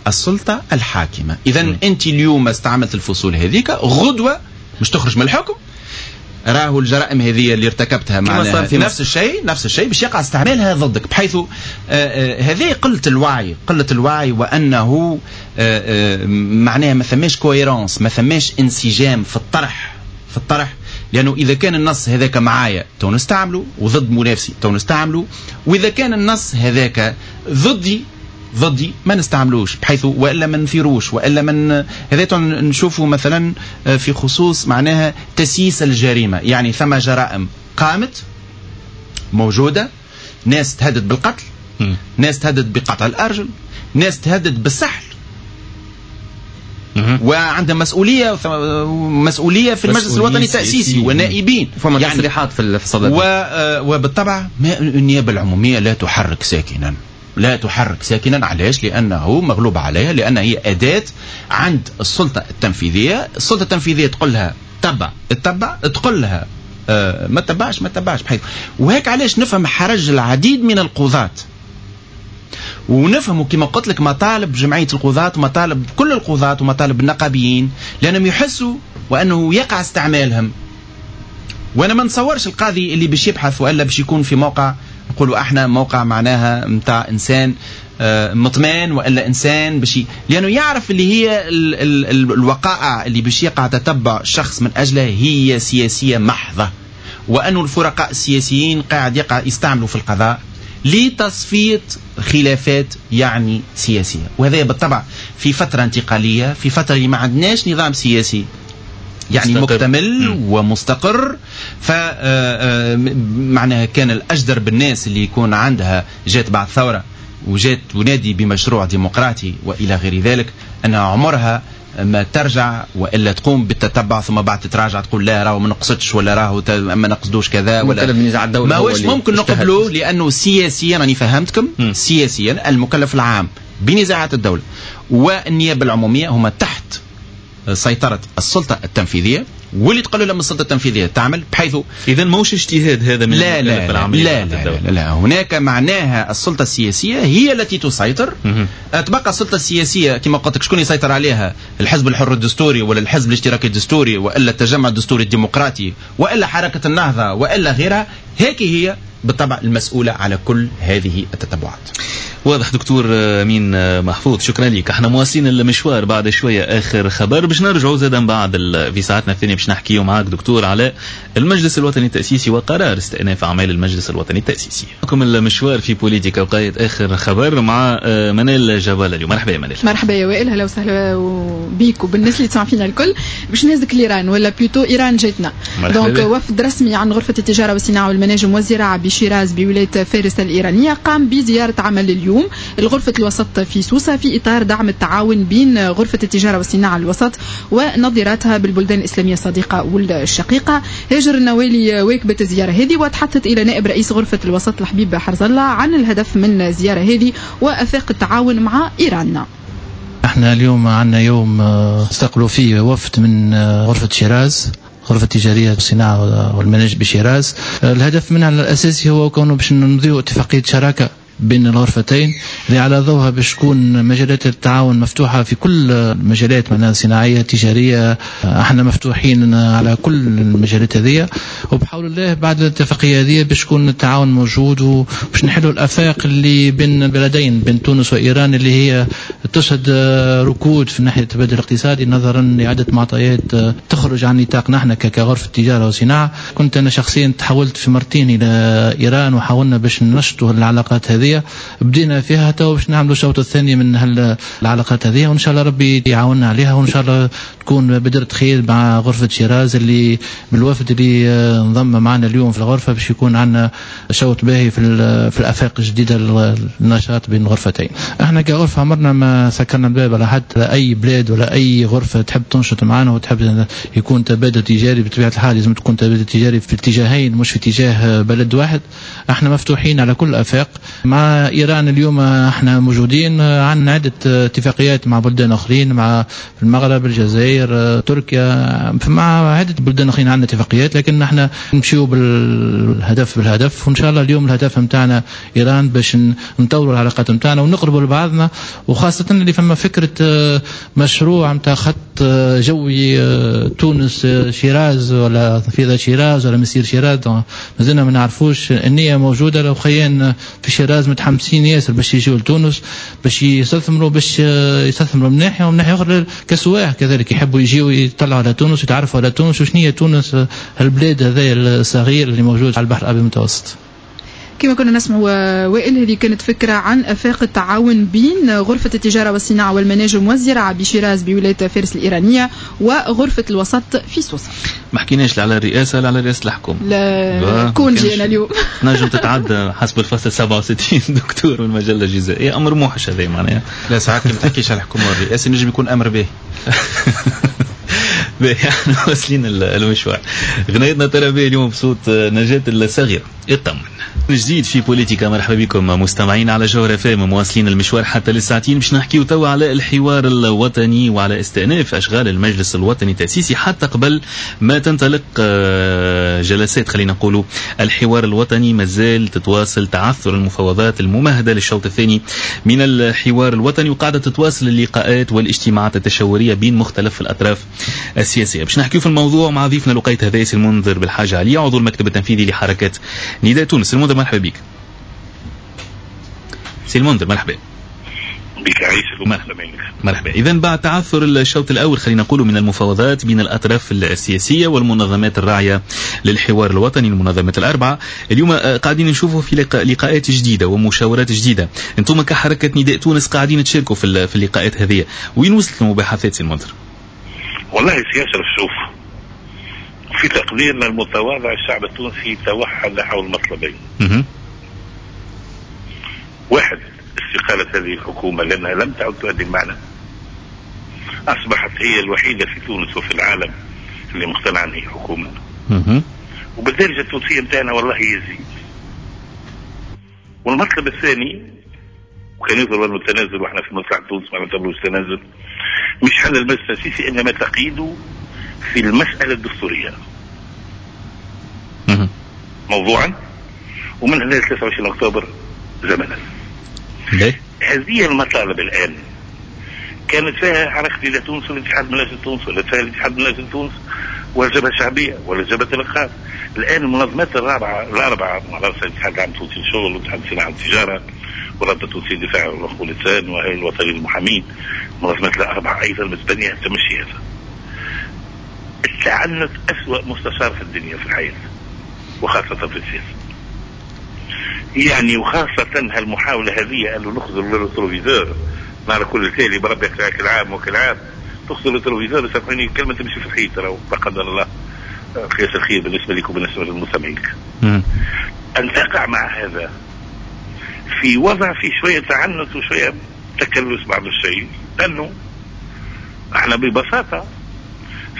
السلطة الحاكمة. إذا أنت اليوم استعملت الفصول هذيك، غدوة مش تخرج من الحكم، راهو الجرائم هذه اللي ارتكبتها معناها في نفس الشيء، نفس الشيء باش يقع استعمالها ضدك، بحيث هذه قلة الوعي، قلة الوعي، وأنه معناها ما ثماش cohérence، ما ثماش انسجام في الطرح، في الطرح. لأنه إذا كان النص هذاك معايا تو نستعمله، وضد منافسي تو نستعمله، وإذا كان النص هذاك ضدي ضدي ما نستعملوش، بحيث والا ما نثيروش، والا من هذا نشوفه مثلا في خصوص معناها تسييس الجريمة. يعني ثم جرائم قامت موجودة، ناس تهدد بالقتل، م. ناس تهدد بقطع الارجل، ناس تهدد بالسحل، وعندها مسؤولية، مسؤولية في المجلس الوطني التأسيسي ونائبين، فما يعني تصريحات في الصدد. وبالطبع النيابة العمومية لا تحرك ساكنا، لا تحرك ساكنا. علاش؟ لأنه مغلوب عليها، لأن هي أداة عند السلطة التنفيذية. السلطة التنفيذية تقول لها تبع تبع، تقول لها آه ما تبعش ما تبعش، بحيث وهيك علاش نفهم حرج العديد من القضاة، ونفهموا كما قلت لك مطالب جمعية القضاة ومطالب كل القضاة ومطالب النقابيين، لأنهم يحسوا وأنه يقع استعمالهم. وأنا ما نتصورش القاضي اللي باش يبحث وإلا باش يكون في موقع نقولوا احنا موقع معناها متاع انسان مطمئن والا انسان باش، لانه يعرف اللي هي ال ال ال الوقائع اللي باش يقع تتبع شخص من اجله هي سياسية محضة، وانه الفرقاء السياسيين قاعد يقع يستعملوا في القضاء لتصفيه خلافات يعني سياسية. وهذا بالطبع في فترة انتقالية، في فترة اللي ما عندناش نظام سياسي يعني مستقر. مكتمل م. ومستقر، فمعناها كان الأجدر بالناس اللي يكون عندها جات بعد ثورة وجات تنادي بمشروع ديمقراطي وإلى غير ذلك، أنها عمرها ما ترجع وإلا تقوم بالتتبع ثم بعد تتراجع تقول لا راهو ما نقصدش ولا راهو ما نقصدوش كذا ولا ما هوش ممكن نقبلوه، لأنه سياسيا أنا فهمتكم م. سياسيا المكلف العام بنزاعات الدولة والنيابة العمومية هما تحت سيطرة السلطة التنفيذية، واللي تقول لها من السلطة التنفيذية تعمل، بحيث اذا ماهوش اجتهاد هذا من لا لا لا لا, لا, لا, لا هناك معناها السلطة السياسية هي التي تسيطر. تبقى السلطة السياسية كما قلت لك شكون يسيطر عليها؟ الحزب الحر الدستوري ولا الحزب الاشتراكي الدستوري والا التجمع الدستوري الديمقراطي والا حركة النهضة والا غيرها، هيك هي بالطبع المسؤولة على كل هذه التتبعات. واضح دكتور أمين محفوظ، شكرا لك. احنا مواصلين المشوار بعد شوية آخر خبر باش نرجعوا زادا بعد في ساعتنا الثانية باش نحكيو معاك دكتور على المجلس الوطني التأسيسي وقرار استئناف أعمال المجلس الوطني التأسيسي. معكم المشوار في بوليتيكا وقاية آخر خبر مع منال جبالة اليوم. مرحبا يا منال. مرحبا يا وائل، هلا وسهلا بيك وبالناس اللي تسمع فينا الكل. باش نهزك لإيران ولا plutôt إيران جاتنا. donc وفد رسمي عن غرفة التجارة والصناعة والمناجم والزراعة بشيراز بولاية فارس الإيرانية قام بزيارة عمل اليوم الغرفة الوسط في سوسة في إطار دعم التعاون بين غرفة التجارة والصناعة الوسط ونظيراتها بالبلدان الإسلامية الصديقة والشقيقة. هاجر النوالي واكبت الزيارة هذه وتحدثت إلى نائب رئيس غرفة الوسط الحبيب حرز الله عن الهدف من الزيارة هذه وأفاق التعاون مع إيران. احنا اليوم عندنا يوم استقبلوا فيه وفد من غرفة شيراز، غرفة التجارية والصناعة والمناجم بشيراز. الهدف منها الأساسي هو كونه باش نمضيو اتفاقية شراكة بين الغرفتين اللي على ضوءها باش تكون مجالات التعاون مفتوحة في كل المجالات، معناها صناعية تجارية، احنا مفتوحين على كل المجالات هذه. وبحول الله بعد الاتفاقية هذه باش يكون التعاون موجود وباش نحلوا الآفاق اللي بين البلدين، بين تونس وإيران، اللي هي تشهد ركود في ناحية التبادل الاقتصادي نظرا لعدة معطيات تخرج عن نطاقنا احنا كغرفة تجارة وصناعة. كنت أنا شخصيا تحولت في مرتين إلى إيران وحاولنا باش ننشطوا العلاقات هذه، بدينا فيها تو باش نعملوا الشوط الثاني من العلاقات هذه، وان شاء الله ربي يعاوننا عليها، وان شاء الله تكون بدرة خير مع غرفة شيراز اللي بالوفد اللي انضم معنا اليوم في الغرفة باش يكون عندنا شوط باهي في في الافاق الجديدة للنشاط بين الغرفتين. احنا كغرفة عمرنا ما سكرنا الباب على حد، لا اي بلاد ولا اي غرفة تحب تنشط معنا وتحب يكون تبادل تجاري. بطبيعة الحال لازم تكون تبادل تجاري في اتجاهين مش في اتجاه بلد واحد. احنا مفتوحين على كل الافاق. مع إيران اليوم احنا موجودين، عندنا عدة اتفاقيات مع بلدان آخرين، مع المغرب، الجزائر، تركيا، مع عدة بلدان آخرين عندنا اتفاقيات، لكن احنا نمشيو بالهدف بالهدف. وإن شاء الله اليوم الهدف متاعنا إيران باش نطوروا العلاقات متاعنا ونقربوا لبعضنا، وخاصة اللي فما فكرة مشروع متاع خط جوي تونس شيراز ولا فيضة شيراز ولا مسير شيراز، مازلنا ما نعرفوش. النية موجودة، لو خيان في شيراز متحمسين ياسر باش يجيو لتونس باش يستثمروا، باش يستثمروا من ناحية، ومن ناحية اخرى كسواح كذلك يحبوا يجيو يطلعوا على تونس ويتعرفوا على تونس وشنو هي تونس، البلاد هذا الصغير اللي موجود على البحر الابيض المتوسط. كما كنا نسمع وائل، هذه كانت فكرة عن أفاق التعاون بين غرفة التجارة والصناعة والمناجم والزراعة بشيراز بولاية فارس الإيرانية وغرفة الوسط في سوسة. ما حكيناش لا على الرئاسة لا على رئاسة الحكومة. لا congé أنا اليوم. نجم تتعدى حسب الفصل سبعة وستين دكتور والمجلة الجزائية، أمر موحش هذا معناها. لا ساعات ما تحكيش على الحكومة والرئاسة نجم يكون أمر به. باهي، احنا واصلين المشوار. غنيتنا ترى به اليوم بصوت نجاة الصغيرة اطمن. جديد في بوليتيكا، مرحبا بكم مستمعين على جوهرة اف ام، مواصلين المشوار حتى للساعتين باش نحكيو توا على الحوار الوطني وعلى استئناف اشغال المجلس الوطني التاسيسي حتى قبل ما تنطلق جلسات خلينا نقولوا الحوار الوطني. مازال تتواصل تعثر المفاوضات الممهده للشوط الثاني من الحوار الوطني، وقاعدة تتواصل اللقاءات والاجتماعات التشاوريه بين مختلف الاطراف السياسية. باش نحكيو في الموضوع مع ضيفنا لقيت هذايس المنذر بالحاج علي، عضو المكتب التنفيذي لحركة نداء تونس. المنذر مرحبا بك. سي المنذر مرحبا بك، عايشك مرحبا. مرحبا. إذا بعد تعثر الشوط الأول خلينا نقول من المفاوضات بين الأطراف السياسية والمنظمات الراعية للحوار الوطني، المنظمات الأربعة، اليوم قاعدين نشوفوا في لقاءات جديدة ومشاورات جديدة. أنتم كحركة نداء تونس قاعدين تشاركوا في اللقاءات هذه، وين وصلت المباحثات سي المنذر؟ والله سي أشرف، شوف، في تقديرنا المتواضع الشعب التونسي توحد حول مطلبين. واحد، استقالة هذه الحكومة لأنها لم تعد تؤدي المعنى، أصبحت هي الوحيدة في تونس وفي العالم اللي مقتنعة أن هي حكومة. وبالدرجة التونسية متاعنا والله يزيد. والمطلب الثاني، وكان يظهر أنه التنازل، واحنا في مصلحة تونس ما نعتبروش تنازل، مش حل المجلس التأسيسي، إنما تقييده في المسألة الدستورية موضوعا، ومن هنا ثلاثة وعشرين أكتوبر زمنا. هذه المطالب الآن كانت فيها حركة إلى تونس والاتحاد من أجل تونس، ولا فيها الاتحاد من أجل تونس والجبهة الشعبية ولا جبهة الإنقاذ. الآن المنظمات الرابعة الأربعة على رأس الاتحاد العام التونسي للشغل والاتحاد الصناعة والتجارة والرابطة التونسية للدفاع عن حقوق الإنسان والهيئة الوطنية للمحامين، المنظمات الأربعة أيضا متبنية تمشي هذا. التعنت أسوأ مستشار في الدنيا في الحياة وخاصة في السياسة. يعني وخاصة هالمحاولة هذه أنه نخزر ال rétroviseur نهار كل تالي بربي كل عام وكل عام تخزر ال rétroviseur، سامحوني كلمة تمشي في الحيط لا قدر الله، قياس الخير بالنسبة لكم وبالنسبة للمستمعين. أن تقع مع هذا في وضع في شوية تعنت وشوية تكلس بعض الشيء، لأنه احنا ببساطة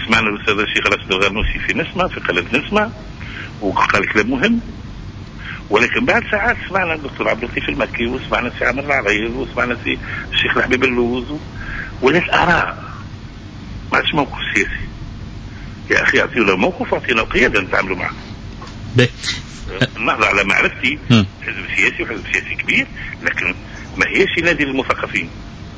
سمعنا الأستاذ الشيخ راشد الغنوشي في نسمة في قناة نسمة وقال كلام مهم، ولكن بعد ساعات سمعنا الدكتور عبد اللطيف المكي وسمعنا سي عمر العريض وسمعنا سي الشيخ الحبيب اللوز، ولات آراء ما عادش موقف سياسي. يا أخي أعطينا موقف وأعطينا قيادة نتعاملوا معه. النهضة على معرفتي حزب سياسي وحزب سياسي كبير، لكن ما هيش نادي للمثقفين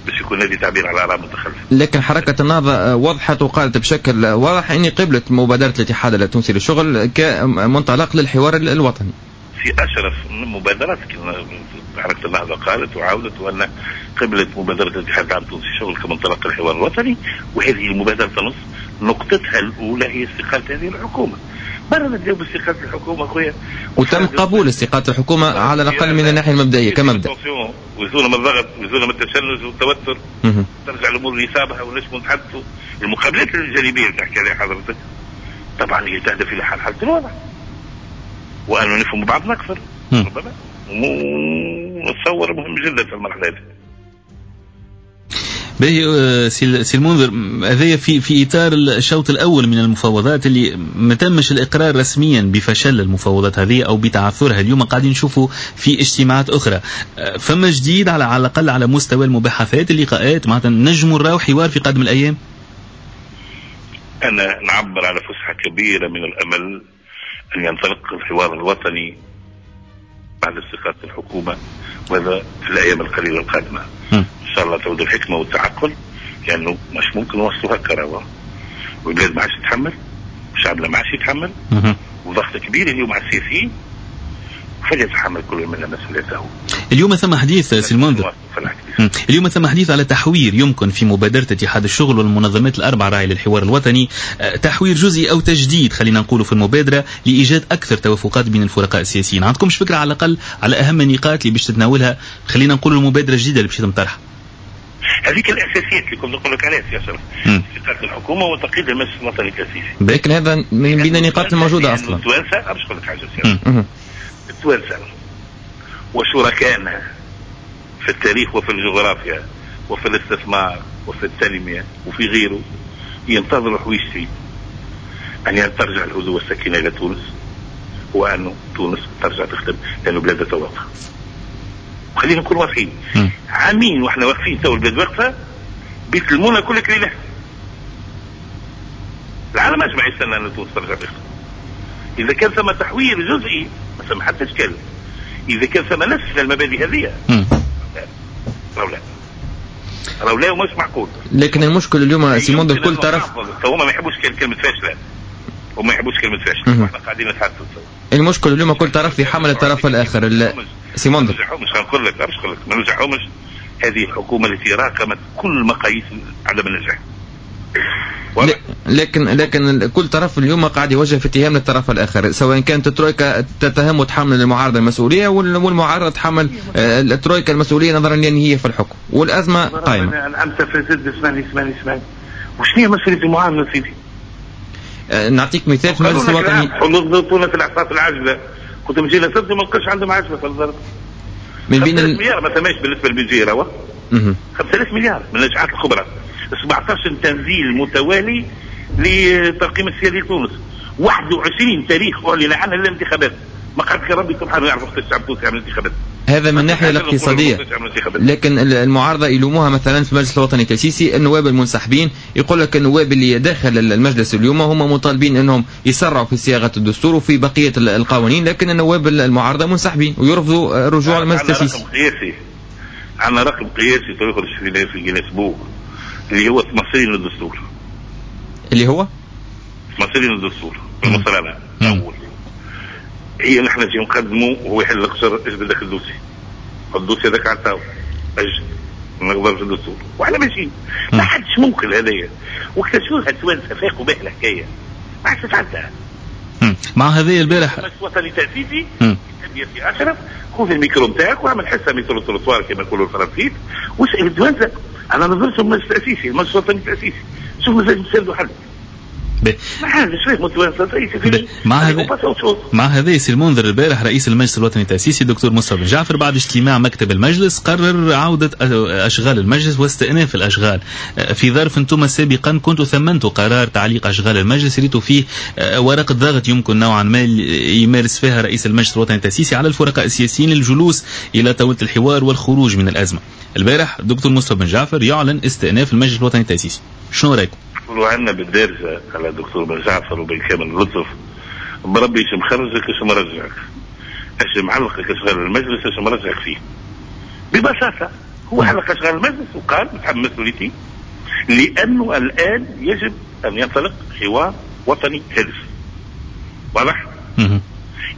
باش يكون نادي تعبير على آراء متخلفة. لكن حركة النهضة وضحت وقالت بشكل واضح أني قبلت مبادرة الاتحاد التونسي للشغل كمنطلق للحوار الوطني. في أشرف مبادرات حركة النهضة قالت وعاودت وأن قبلت مبادرة الاتحاد العام التونسي للشغل كمنطلق للحوار الوطني، وهذه المبادرة تنص نقطتها الأولى هي استقالة هذه الحكومة. برا نبداو باستقالة الحكومة خويا، وتم قبول استقالة الحكومة على الأقل من الناحية المبدئية كمبدأ. ويزولنا من الضغط ويزولنا من التشنج والتوتر، ترجع الأمور لنصابها ونجموا نتحدثوا. المقابلات الجانبية اللي تحكي عليها حضرتك طبعا هي تهدف إلى حل حالة الوضع وأنه نفهم بعضنا أكثر ربما، ونتصور مهم جدا في المرحلة هذه. باهي سي المنذر، هذايا في في اطار الشوط الاول من المفاوضات اللي ما تمش الاقرار رسميا بفشل المفاوضات هذه او بتعثرها. اليوم قاعدين نشوفوا في اجتماعات اخرى، فما جديد على على الاقل على مستوى المباحثات اللقاءات، معناتها نجموا نراو حوار في قادم الايام؟ انا نعبر على فسحة كبيرة من الامل ان ينطلق الحوار الوطني بعد استقالة الحكومة، وهذا في الايام القليلة القادمة. ان شاء الله تعود الحكمة والتعقل، لانه يعني مش ممكن نوصلوا هكا راهو، والبلاد ما عادش تتحمل، وشعبنا ما عادش يتحمل، وضغط كبير اليوم على السياسيين، فليتحمل كل منا مسؤوليته. اليوم ثم حديث سي المنذر، اليوم ثم حديث على تحوير يمكن في مبادرة اتحاد الشغل والمنظمات الأربع راعي للحوار الوطني، تحوير جزئي أو تجديد خلينا نقوله في المبادرة لإيجاد أكثر توافقات بين الفرقاء السياسيين. عندكمش فكرة على الأقل على أهم النقاط اللي باش تتناولها خلينا نقول المبادرة الجديدة اللي باش يتم طرحها؟ هذيك الأساسيات اللي كنت نقول لك عليها يا شرف، استقالة الحكومة وتقييد المجلس الوطني التأسيسي. لكن هذا من بين النقاط الموجودة أصلا. التوانسة باش نقول لك حاجة، التوانسة وشركائنا في التاريخ وفي الجغرافيا وفي الاستثمار وفي التنمية وفي غيره ينتظروا حويشتي أن ترجع الهدوء والسكينة إلى تونس، وأن تونس ترجع تخدم لأنه بلادها واقفة. خلينا نكون واضحين، عامين واحنا واقفين تو البلاد واقفة، بيتلمونا كل كليلة. العالم أجمع يستنى أن تونس ترجع تخدم. إذا كان ثم تحوير جزئي ما ثم حتى إشكال، إذا كان ثم نفس المبادئ هذه راهو لا، راهو لا ومش معقول. لكن المشكل اليوم سي منذر كل طرف هما ما يحبوش كلمة فاشلة، وما يحبوش كلمة فاشلة، احنا قاعدين نتحدثوا. المشكل اليوم كل طرف يحمل الطرف الآخر. سي منذر ما نرجعهمش، نقول لك باش نقول لك ما نرجعهمش. هذه الحكومة التي راكمت كل مقاييس عدم النجاح. لكن لكن كل طرف اليوم قاعد يوجه في اتهام للطرف الاخر، سواء كانت الترويكا تتهم وتحمل المعارضة المسؤولية، والمعارضة تحمل الترويكا المسؤولية نظرا لان هي في الحكم والازمة قائمة. انا امس فسد اسمعني اسمعني اسمعني، وشنو هي مسؤولية المعارضة سيدي؟ نعطيك مثال في المجلس الوطني، حضرتونا في الاعصاب العاجلة، كنت مجي لسد ما نلقاش عندهم عجله في الضرب. من بين مليار ما ثماش بالنسبة للبيجي راهو خمسة آلاف مليار من النجاحات الكبرى، سبعة عشر تنزيل متوالي لترقيم السيادي لتونس، واحد وعشرين تاريخ اعلن عنها للانتخابات. ما قعد ربي سبحانه يعرف وقت الشعب التونسي يعمل انتخابات. هذا من الناحية الاقتصادية، لكن المعارضة يلوموها مثلا في المجلس الوطني التأسيسي النواب المنسحبين، يقول لك النواب اللي داخل المجلس اليوم هم مطالبين انهم يسرعوا في صياغة الدستور وفي بقية القوانين، لكن النواب المعارضة منسحبين ويرفضوا الرجوع للمجلس التأسيسي. عندنا رقم قياسي، عندنا رقم قياسي تخرج في جينيس بوك اللي هو تمثيل للدستور، اللي هو تمثيل للدستور المصرانة اول هي نحن نجي نقدموا وهو يحل القصر اجبد ذاك ال dossier، ال dossier هذاك على الطاولة اجل نقدر في الدستور وحنا ماشيين. ما حدش ممكن هذايا واكتشفوها التوانسة فاقوا به الحكاية ما عادش تتعدى. مع هذه البارح المجلس الوطني التاسيسي يا سي اشرف خذ الميكرو نتاعك واعمل حصة micro-trottoir كما يقولوا الفرنسيس واسال التوانسة. انا نظرت المجلس التاسيسي، المجلس الوطني التاسيسي، شوف مازال نسالوا حل. مع هذا مع هذا سي المنذر البارح رئيس المجلس الوطني التأسيسي الدكتور مصطفى بن جعفر بعد اجتماع مكتب المجلس قرر عودة أشغال المجلس واستئناف الأشغال في ظرف انتم سابقا كنتوا ثمنتوا قرار تعليق أشغال المجلس ريتوا فيه ورقة ضغط يمكن نوعا ما يمارس فيها رئيس المجلس الوطني التأسيسي على الفرقاء السياسيين للجلوس إلى طاولة الحوار والخروج من الأزمة. البارح الدكتور مصطفى بن جعفر يعلن استئناف المجلس الوطني التأسيسي، شنو رأيكم؟ يقولوا عندنا بالدارجة على الدكتور بن جعفر وبالكامل اللطف بربي ايش مخرجك ايش مرجعك، ايش معلقك اشغال المجلس ايش مرجعك فيه. ببساطة هو علق اشغال المجلس وقال متحمل مسؤوليتي لانه الان يجب ان ينطلق حوار وطني هادف. واضح؟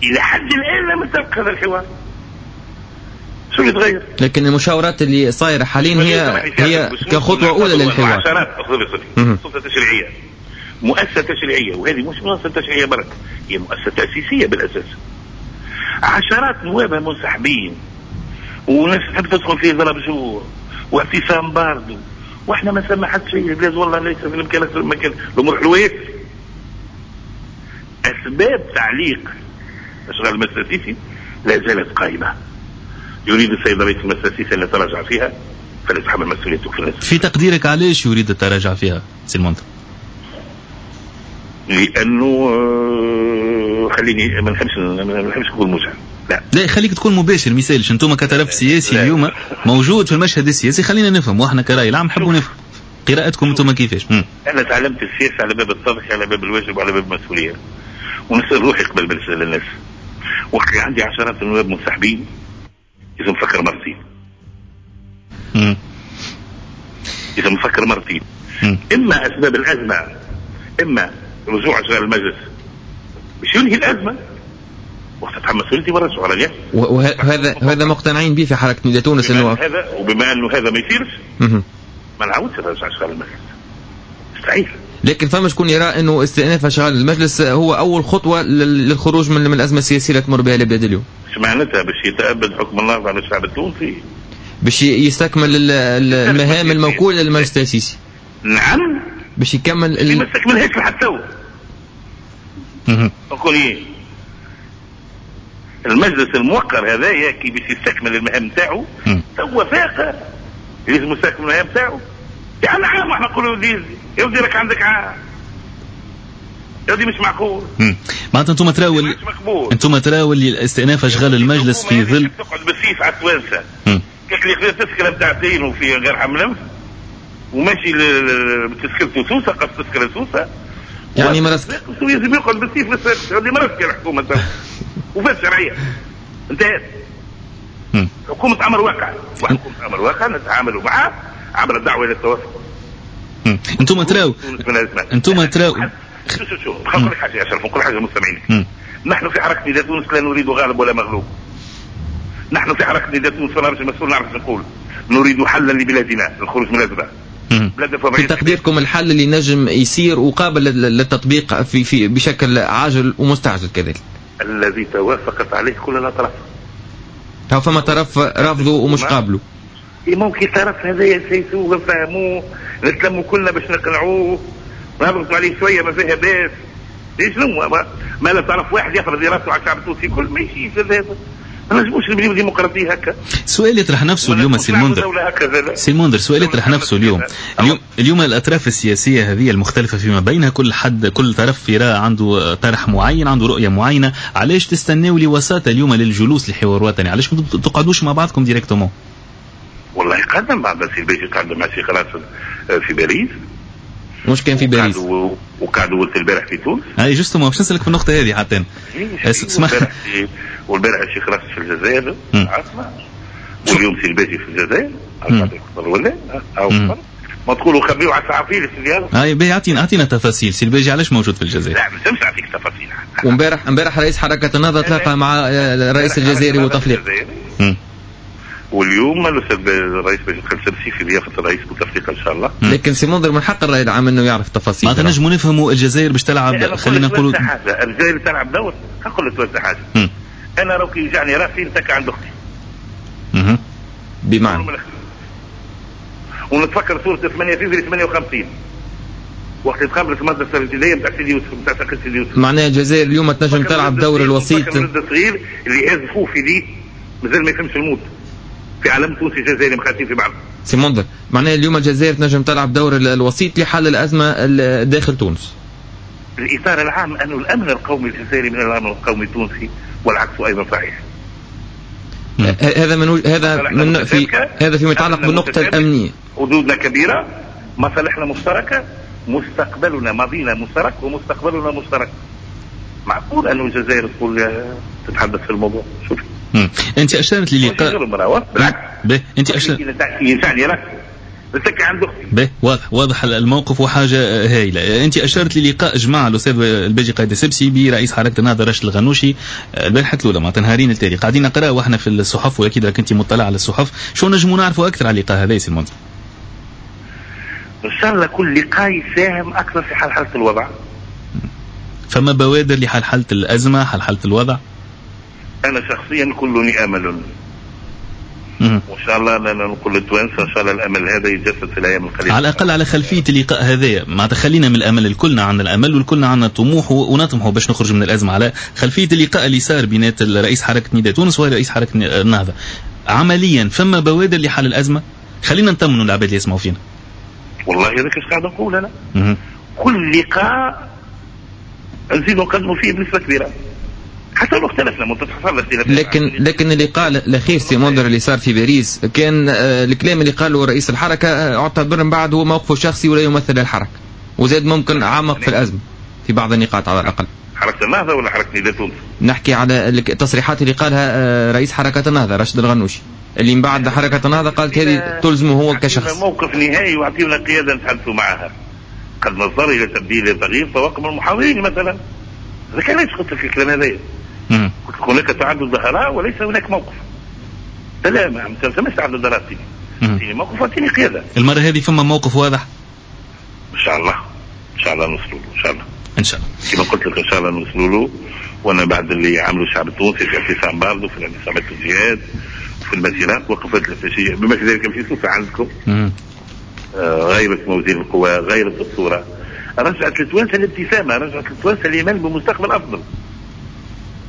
الى حد الان لم ينطلق هذا الحوار. شو اللي تغير؟ لكن المشاورات اللي صايرة حاليا هي هي كخطوه اولى للحوار. عشرات سلطة تشريعية، مؤسسة تشريعية، وهذه مش مؤسسة تشريعية برك، هي مؤسسة تاسيسيه بالاساس. عشرات نوابها منسحبين وناس تحب تدخل فيه ضرب جوع واعتصام باردو، واحنا ما سمى حد شيء. البلاد والله ليس في الامكان اكثر من مكان، الامور حلوة. اسباب تعليق اشغال المجلس التاسيسي لا زالت قائمة. يريد السيد رئيس المجلس التأسيسي أن يتراجع فيها فليتحمل مسؤوليته في الناس. في تقديرك علاش يريد التراجع فيها سي المنذر؟ لأنه خليني ما نحبش ما نحبش نكون موجع. لا لا خليك تكون مباشر، ما يسالش. انتم كطرف سياسي اليوم موجود في المشهد السياسي، خلينا نفهم واحنا كرأي العام نحبوا نفهم قراءتكم انتم كيفاش. مم. أنا تعلمت السياسة على باب التضحية، على باب الواجب، وعلى باب المسؤولية، ونسأل روحي قبل ما نسأل الناس. وقت عندي عشرات النواب منسحبين لازم نفكر مرتين. لازم نفكر مرتين. مم. اما اسباب الازمة، اما رجوع اشغال المجلس باش ينهي الازمة وقت تتحمل مسؤوليتي ورجعوا على اليد. وهذا هذا مقتنعين به في حركة نداء تونس انه هذا، وبما انه هذا ما يصيرش ما نعاودش نرجع اشغال المجلس، مستحيل. لكن فما شكون يرى انه استئناف اشغال المجلس هو اول خطوة للخروج من الازمة السياسية اللي تمر بها البلاد اليوم. ايش معناتها؟ باش يتأبد حكم الله على الشعب التونسي، باش يستكمل المهام الموكوله للمجلس التأسيسي. نعم، باش يكمل ال... ما استكملهاش لحد تو. نقول ايه؟ المجلس الموقر هذايا كي باش يستكمل المهام نتاعو تو فاق لازم يستكمل المهام نتاعو. يعني عام احنا نقولوا يا ودي راك عندك عام، يا ودي مش معقول. معناتها انتم تراو انتم تراو اللي استئناف اشغال المجلس في ظل تقعد بالسيف على التوانسة. كيف اللي خذا تسكره نتاع دين وفي غير حملمس وماشي بتسكرته سوسة، قص تسكره سوسة يعني مرسك لازم يقعد بالسيف اللي مرسك الحكومة وفات شرعية انتهت. حكومة امر واقع، وحكومة امر واقع نتعامل معها عبر الدعوة الى التوافق. انتم تراو انتم تراو شو شو شو نقول لك حاجة يا اشرف، نقول حاجة للمستمعين. نحن في حركة نداء تونس لا نريد غالب ولا مغلوب. نحن في حركة نداء تونس ونعرف المسؤول، نعرف نقول نريد حلا لبلادنا، الخروج من الازمة. في تقديركم الحل اللي نجم يصير وقابل للتطبيق في في بشكل عاجل ومستعجل كذلك، الذي توافقت عليه كل الاطراف. هو فما طرف رافضه ومش قابله. ممكن طرف هذا يسيسوه نفهموه نتلموا كلنا باش نقنعوه نضغطوا عليه شوية ما فيها باس. شنو ما, ما لا طرف واحد يفرض راسه على الشعب التونسي كل ما يمشيش هذا. ما نجموش نبنيو ديمقراطية هكا. سؤال يطرح نفسه اليوم سي المنذر، سي المنذر سؤال يطرح نفسه اليوم، اليوم اليوم الاطراف السياسية هذه المختلفة فيما بينها، كل حد كل طرف يرى عنده طرح معين، عنده رؤية معينة، علاش تستناو لوساطه اليوم للجلوس لحوار وطني؟ علاش ما تقعدوش مع بعضكم directement؟ والله قعدنا مع سي الباجي، قعدنا مع سي راشد في باريس، مش كان في باريس، وقعدوا ولد البارح في تونس. اي justement باش نسالك في النقطة هذه حتى اسمع. والبارح الشيخ راشد في الجزائر العاصمة، واليوم سي الباجي في الجزائر ولا او ما تقولوا خبيوا على الصحفيين في الرياض. اي باهي، اعطينا اعطينا تفاصيل سي الباجي علاش موجود في الجزائر؟ لا ما نجمش نعطيك تفاصيل. وامبارح امبارح رئيس حركة النهضة تلاقى مع الرئيس الجزائري بوتفليقه. واليوم الرئيس باجي السبسي في ضيافة الرئيس بوتفليقه ان شاء الله. لكن سي منذر من حق الراي العام انه يعرف تفاصيل. معناتها نجموا نفهموا الجزائر باش تلعب، خلينا نقولوا الجزائر تلعب دور. نقول لك حاجة، مم. انا لو كي يوجعني راسي نتكى عند اختي. اها بمعنى ونتفكر صوره ثمانية فبراير ثمانية وخمسين وقت تخبرت المدرسة الابتدائية نتاع سيدي يوسف، نتاع سيدي يوسف. معناها الجزائر اليوم تنجم تلعب دور الوسيط. الولد الصغير اللي هاز خوه في دي مازال ما يفهمش الموت في عالم تونسي جزائري مخاطين في بعض. سي منذر، معناها اليوم الجزائر تنجم تلعب دور الوسيط لحل الازمة داخل تونس. الاطار العام انه الامن القومي الجزائري من الامن القومي التونسي والعكس ايضا صحيح. هذا من هذا من في هذا فيما يتعلق بالنقطة الامنية. حدودنا كبيرة، مصالحنا مشتركة، مستقبلنا ماضينا مشترك ومستقبلنا مشترك. معقول انه الجزائر تقول تتحدث في الموضوع؟ شوف انت اشرت للقاء بالعكس. انت اشرت ينفعني راسي به، واضح واضح الموقف وحاجه هايلة. انت اشرت للقاء جمع الاستاذ الباجي قايد السبسي برئيس حركة النهضة راشد الغنوشي البارحة الاولى، معناتها نهارين التالي قاعدين نقرا واحنا في الصحف، واكيد راك انت مطلع على الصحف، شو نجموا نعرفوا اكثر على اللقاء هذا يا سي المنذر؟ ان شاء الله كل لقاء يساهم اكثر في حلحله الوضع. فما بوادر لحلحله الازمة، حلحله الوضع؟ انا شخصيا كلني امل، وان شاء الله نقول للتوانسه ان شاء الله الامل هذا يتجسد في الايام القليلة. على الاقل على خلفية اللقاء هذايا، معناتها خلينا من الامل، الكلنا عندنا الامل والكلنا عندنا طموح ونطمحوا باش نخرج من الازمة. على خلفية اللقاء اللي صار بينات رئيس حركة نداء تونس ورئيس حركة النهضة، عمليا فما بوادر لحل الازمة؟ خلينا نطمنوا العباد اللي يسمعوا فينا. والله هذاك اش قاعد نقول انا. مم. كل لقاء نزيدوا نقدموا فيه بنسبة كبيرة. حتى لو اختلفنا متتحصل اختلافات. لكن لكن اللقاء الاخير سي منذر اللي صار في باريس كان الكلام اللي قاله رئيس الحركة اعتبر من بعد هو موقفه الشخصي ولا يمثل الحركة، وزاد ممكن عمق في الازمة في بعض النقاط على الاقل. حركة النهضة ولا حركة نداء تونس؟ نحكي على التصريحات اللي قالها رئيس حركة النهضة راشد الغنوشي، اللي من بعد حركة النهضة قالت هذه تلزمه هو كشخص. موقف نهائي واعطينا قيادة نتحدثوا معها. قد نضطر الى تبديل تغيير طواقم المحاورين مثلا. هذا كان ليش قلت في الكلام هذايا. قلت هناك تعدد ظهراء وليس هناك موقف. لا ما ثماش تعدد ظهراء سيدي. موقف واعطيني قيادة. المرة هذه فما موقف واضح؟ ان شاء الله ان شاء الله نوصلوا له ان شاء الله. ان شاء الله. كما قلت لك ان شاء الله نوصلوا له، وانا بعد اللي عملوا الشعب التونسي في اعتصام باردو، في اعتصامات الجهاد، في المسيرات وقفت الفاشية بما في ذلك في سوسة عندكم. آه غيرت موازين القوى، غيرت الصورة، رجعت للتوانسه الابتسامة، رجعت للتوانسه الايمان بمستقبل افضل.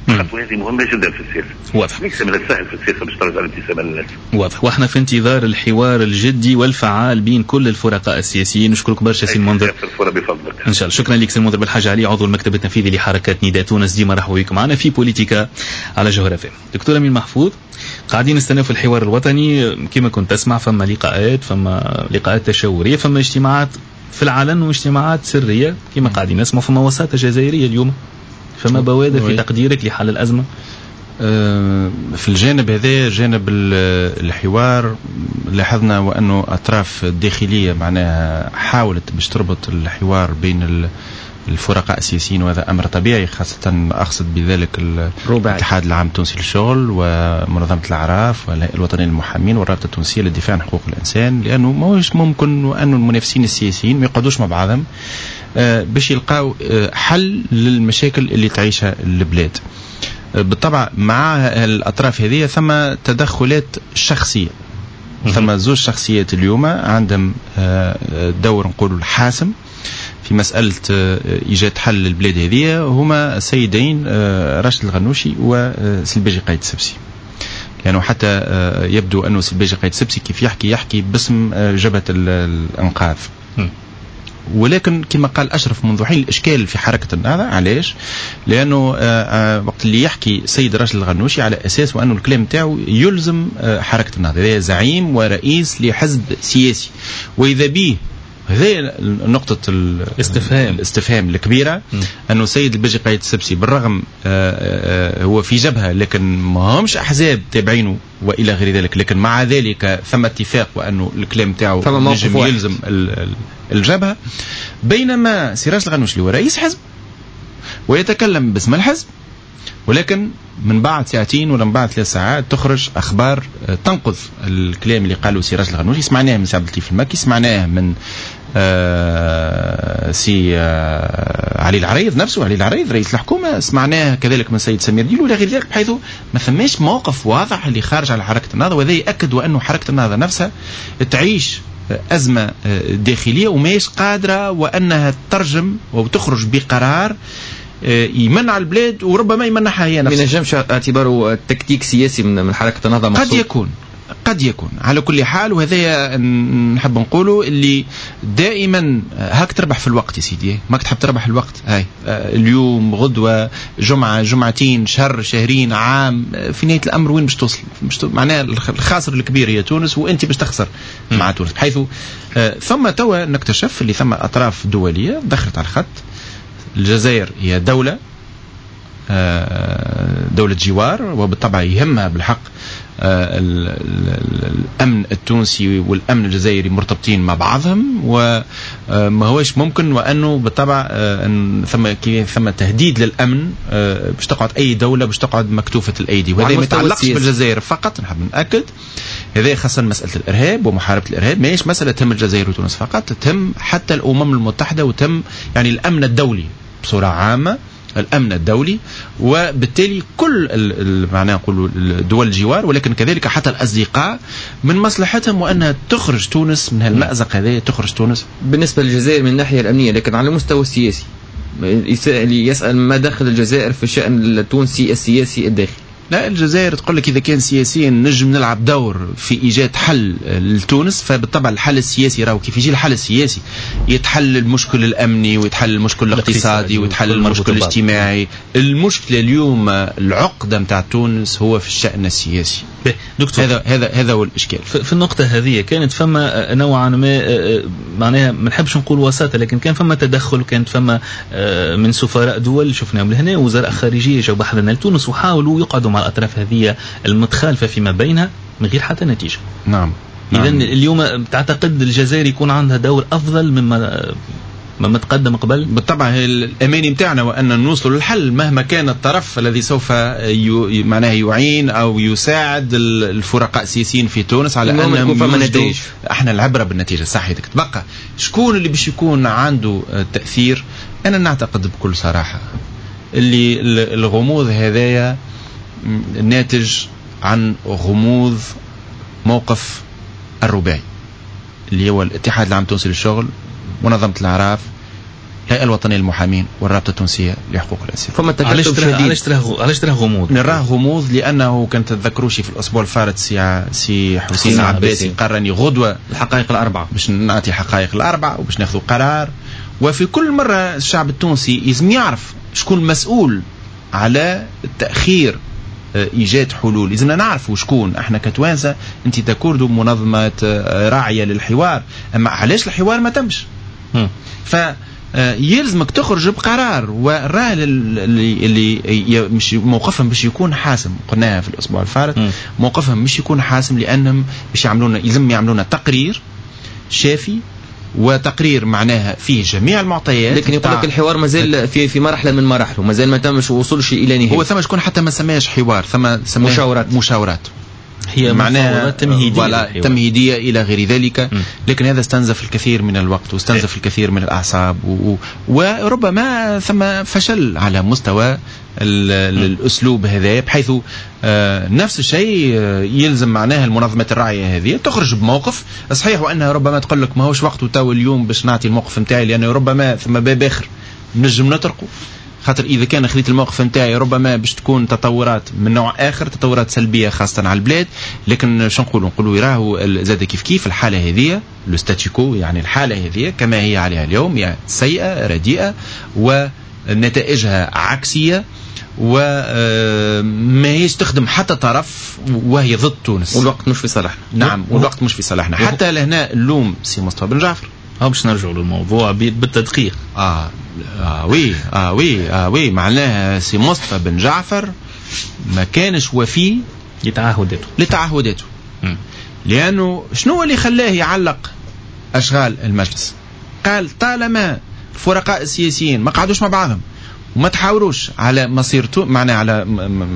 الخطوة هذه مهمة جدا في السياسة. واضح. ليس من السهل في السياسة باش ترجع الابتسامة للناس. واضح، واحنا في انتظار الحوار الجدي والفعال بين كل الفرقاء السياسيين. نشكرك برشا سي المنذر. بفضلك. ان شاء الله، شكرا لك سي المنذر بالحاج علي عضو المكتب التنفيذي لحركة نداء تونس. ديما رحبوا بكم معنا في بوليتيكا على جوهرة فم. دكتور امين محفوظ، قاعدين نستناو في الحوار الوطني كما كنت تسمع، فما لقاءات، فما لقاءات تشاوريه، فما اجتماعات في العلن واجتماعات سرية كما قاعدين نسمع، فما وساطة جزائرية اليوم، فما بوادر في تقديرك لحل الأزمة؟ في الجانب هذا، جانب الحوار، لاحظنا وأنه أطراف الداخلية معناها حاولت باش تربط الحوار بين الفرقاء السياسيين، وهذا أمر طبيعي، خاصة أقصد بذلك الاتحاد العام التونسي للشغل ومنظمة الأعراف والهيئة الوطنية للمحامين والرابطة التونسية للدفاع عن حقوق الإنسان، لأنه ماهوش ممكن أن المنافسين السياسيين ما يقعدوش مع بعضهم باش يلقاو حل للمشاكل اللي تعيشها البلاد. بالطبع مع الأطراف هذه ثم تدخلات شخصية، ثم زوج شخصيات اليوم عندهم دور نقولوا الحاسم في مسألة إيجاد حل للبلاد هذه، هما السيدين راشد الغنوشي وسي الباجي قايد السبسي. يعني حتى يبدو أنه سي الباجي قايد السبسي كيف يحكي يحكي باسم جبهة الإنقاذ. ولكن كما قال أشرف منذ حين الإشكال في حركة النهضة، علاش؟ لأنه وقت اللي يحكي سيد راشد الغنوشي على أساس وأنه الكلام تاعو يلزم حركة النهضة، هذا زعيم ورئيس لحزب سياسي، وإذا به هذه نقطة الاستفهام الاستفهام الكبيرة، أنه سيد الباجي قايد السبسي بالرغم هو في جبهة لكن ما همش أحزاب تابعينه وإلى غير ذلك، لكن مع ذلك ثم اتفاق وأنه الكلام تاعو نجم يلزم الجبهة، بينما سراج الغنوشي هو رئيس حزب ويتكلم باسم الحزب، ولكن من بعد ساعتين ولا من بعد ثلاث ساعات تخرج أخبار تنقض الكلام اللي قاله سراج الغنوشي. سمعناه من سي عبد اللطيف المكي، سمعناه من آه سي آه علي العريض نفسه، علي العريض رئيس الحكومة، سمعناه كذلك من سيد سمير ديلو إلى غير ذلك، بحيث ما ثماش موقف واضح اللي خارج على حركة النهضة، وهذا يأكد وأنه حركة النهضة نفسها تعيش أزمة داخلية وماهيش قادرة وأنها تترجم وتخرج بقرار يمنع البلاد وربما يمنعها هي نفسها. ما ينجمش اعتباره تكتيك سياسي من حركة النهضة مقصود. قد يكون قد يكون على كل حال، وهذا نحب نقوله اللي دائما هاك تربح في الوقت يا سيدي، ماك تحب تربح الوقت، هاي اليوم غدوة جمعة جمعتين شهر شهرين عام، في نهاية الأمر وين باش توصل؟ باش معناها الخاسر الكبير هي تونس، وأنت باش تخسر مع تونس. بحيث ثم توا نكتشف اللي ثم أطراف دولية دخلت على الخط. الجزائر هي دولة دولة جوار، وبالطبع يهمها بالحق الأمن التونسي والأمن الجزائري مرتبطين مع بعضهم، وما هوش ممكن وأنه بالطبع أن ثم ثم تهديد للأمن باش تقعد أي دولة باش تقعد مكتوفة الأيدي، وهذا ما يتعلقش بالجزائر فقط. نحب نأكد هذا خاصة مسألة الإرهاب ومحاربة الإرهاب ماهيش مسألة تهم الجزائر وتونس فقط، تهم حتى الأمم المتحدة وتم يعني الأمن الدولي بصورة عامة، الأمن الدولي، وبالتالي كل معناه نقولوا دول الجوار ولكن كذلك حتى الأصدقاء من مصلحتهم وأنها تخرج تونس من هالمأزق هذا، تخرج تونس. بالنسبة للجزائر من الناحية الأمنية، لكن على المستوى السياسي اللي يسأل ما دخل الجزائر في الشأن التونسي السياسي الداخلي؟ لا، الجزائر تقول لك إذا كان سياسيا نجم نلعب دور في إيجاد حل لتونس، فبالطبع الحل السياسي راهو كيف يجي الحل السياسي يتحل المشكل الأمني ويتحل المشكل الاقتصادي ويتحل المشكل الاجتماعي. المشكلة اليوم العقدة متاع تونس هو في الشأن السياسي. دكتور، هذا هذا هذا هو الإشكال. في النقطة هذه كانت فما نوعا ما معناها ما نحبش نقول وساطة، لكن كان فما تدخل، كانت فما من سفراء دول شفناهم لهنا، وزراء خارجية جاوا بحذنا لتونس وحاولوا يقعدوا مع الأطراف هذه المتخالفة فيما بينها من غير حتى نتيجة. نعم. نعم. إذن اليوم تعتقد الجزائر يكون عندها دور أفضل مما مما تقدم قبل؟ بالطبع الأماني متاعنا وأن نوصل للحل مهما كان الطرف الذي سوف ي... معناه يعين أو يساعد الفرقاء السياسيين في تونس على أن نتائج. احنا العبرة بالنتيجة صحيح. تبقى شكون اللي باش يكون عنده تأثير؟ أنا نعتقد بكل صراحة اللي الغموض هذايا ناتج عن غموض موقف الرباعي اللي هو الاتحاد العام التونسي للشغل، منظمة الأعراف، الهيئة الوطنية للمحامين، والرابطة التونسية لحقوق الإنسان. فما تكتل شديد. علاش تراه علاش تراه غموض؟ نراه غموض لأنه كان تتذكروش في الأسبوع الفارط سي سي حسين عباسي قرني غدوة الحقائق الأربعة باش نعطي الحقائق الأربعة وباش ناخذ قرار، وفي كل مرة الشعب التونسي لازم يعرف شكون المسؤول على التأخير إيجاد حلول. لازمنا نعرفوا شكون احنا كتوانسة. انت تكوردو منظمة راعية للحوار، اما علاش الحوار ما تمش؟ فيلزمك تخرج بقرار، والرأي اللي اللي مش موقفهم باش يكون حاسم، قلناها في الأسبوع الفارط، موقفهم مش يكون حاسم لأنهم باش يعملونا، يلزم يعملونا تقرير شافي وتقرير معناها فيه جميع المعطيات. لكن يقول لك الحوار مازال في في مرحلة من مراحله، مازال ما تمش وصولش الى نهاية. هو ثم شكون حتى ما سماش حوار، ثم سماه مشاورات. مشاورات هي معناها تمهيديه تمهيديه الى غير ذلك. م. لكن هذا استنزف الكثير من الوقت واستنزف إيه. الكثير من الاعصاب و... وربما ثم فشل على مستوى الاسلوب هذا، بحيث نفس الشيء يلزم معناها المنظمات الراعيه هذه تخرج بموقف صحيح، وانها ربما تقول لك ماهوش وقته تو اليوم باش نعطي الموقف نتاعي، لانه ربما ثم باب اخر نجم نطرقه، خاطر اذا كان خذيت الموقف نتاعي ربما باش تكون تطورات من نوع اخر، تطورات سلبية خاصة على البلاد. لكن شو نقولوا؟ نقولوا راهو زاد كيف كيف الحالة هذه le statu quo، يعني الحالة هذه كما هي عليها اليوم يعني سيئه رديئة ونتائجها عكسية وما هيش تخدم حتى طرف، وهي ضد تونس، والوقت مش في صالحنا. نعم، والوقت مش في صالحنا. حتى لهنا اللوم سي مصطفى بن جعفر. اه باش نرجعوا للموضوع بالتدقيق. اه اه oui اه oui اه oui معناها سي مصطفى بن جعفر ما كانش وفي لتعهداته لتعهداته لانه شنو اللي خلاه يعلق اشغال المجلس؟ قال طالما الفرقاء السياسيين ما قعدوش مع بعضهم وما تحاوروش على مصير تو... معناها على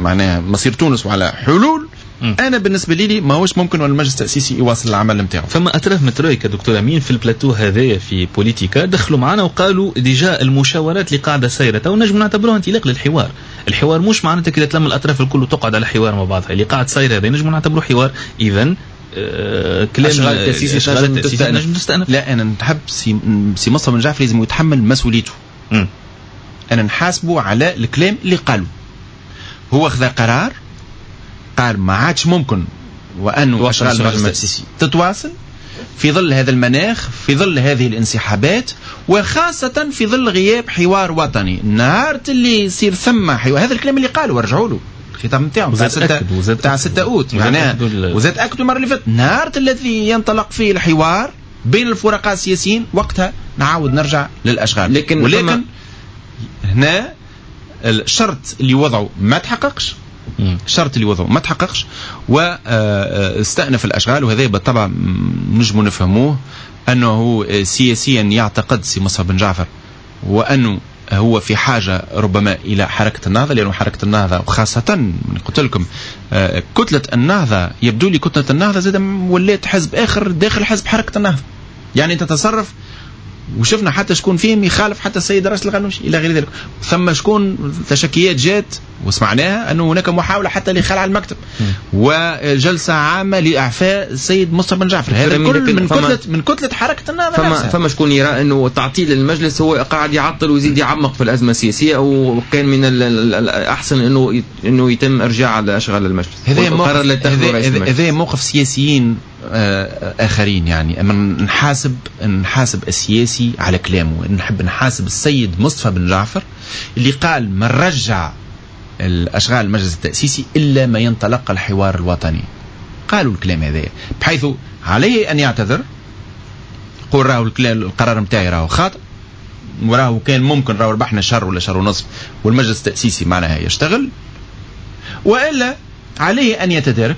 معناها مصير تونس وعلى حلول، م. انا بالنسبة لي ماهوش ممكن والمجلس التاسيسي يواصل العمل نتاعو. فما اطراف من ترويكا دكتور امين في البلاتو هذايا في بوليتيكا دخلوا معنا وقالوا déjà المشاورات اللي قاعدة سايرة تو نجم نعتبروها انطلاق للحوار. الحوار مش معناتها كي تلم الاطراف الكل وتقعد على حوار مع بعضها، اللي قاعد ساير هذا نجم نعتبروه حوار. اذا آه كلام اشغال التاسيسي نجم تستأنف. لا، انا نحب سي, سي مصطفى بن جعفر لازم يتحمل مسؤوليته. م. انا نحاسبه على الكلام اللي قاله. هو خذا قرار، قال ما عادش ممكن وأنه أشغال المجلس التأسيسي تتواصل في ظل هذا المناخ، في ظل هذه الانسحابات، وخاصة في ظل غياب حوار وطني. نهار اللي يصير ثم حوار، هذا الكلام اللي قاله ورجعوا له الخطاب نتاعو تاع ستة أوت، معناها وزاد أكدوا المرة اللي فاتت. نهار الذي ينطلق فيه الحوار بين الفرقاء السياسيين وقتها نعاود نرجع للأشغال. لكن ولكن هنا الشرط اللي وضعه ما تحققش، الشرط اللي وضعه ما تحققش واستأنف الأشغال. وهذا بالطبع نجم نفهموه أنه سياسيا يعتقد سي مصطفى بن جعفر وأنه هو في حاجة ربما إلى حركة النهضة، لأنه حركة النهضة وخاصة قلت لكم كتلة النهضة، يبدو لي كتلة النهضة زاد ولات حزب آخر داخل حزب حركة النهضة، يعني تتصرف، وشفنا حتى شكون فيهم يخالف حتى السيد راشد الغنوشي الى غير ذلك. ثم شكون تشكيات جات وسمعناها انه هناك محاولة حتى لخلع المكتب وجلسه عامة لاعفاء السيد مصطفى بن جعفر. هذا كل من كتلة من كتلة حركة النهضة. فما, فما شكون يرى انه تعطيل المجلس هو قاعد يعطل ويزيد يعمق في الازمة السياسية، وكان من الاحسن انه انه يتم ارجاع اشغال المجلس. هذا موقف هذا موقف سياسيين اخرين، يعني اما نحاسب نحاسب السياسي على كلامه. نحب نحاسب السيد مصطفى بن جعفر اللي قال ما نرجع الاشغال المجلس التاسيسي الا ما ينطلق الحوار الوطني. قالوا الكلام هذا بحيث عليه ان يعتذر، يقول راهو القرار نتاعي راهو خاطئ، وراهو كان ممكن راهو ربحنا شهر ولا شهر ونصف والمجلس التاسيسي معناها يشتغل، والا عليه ان يتدارك،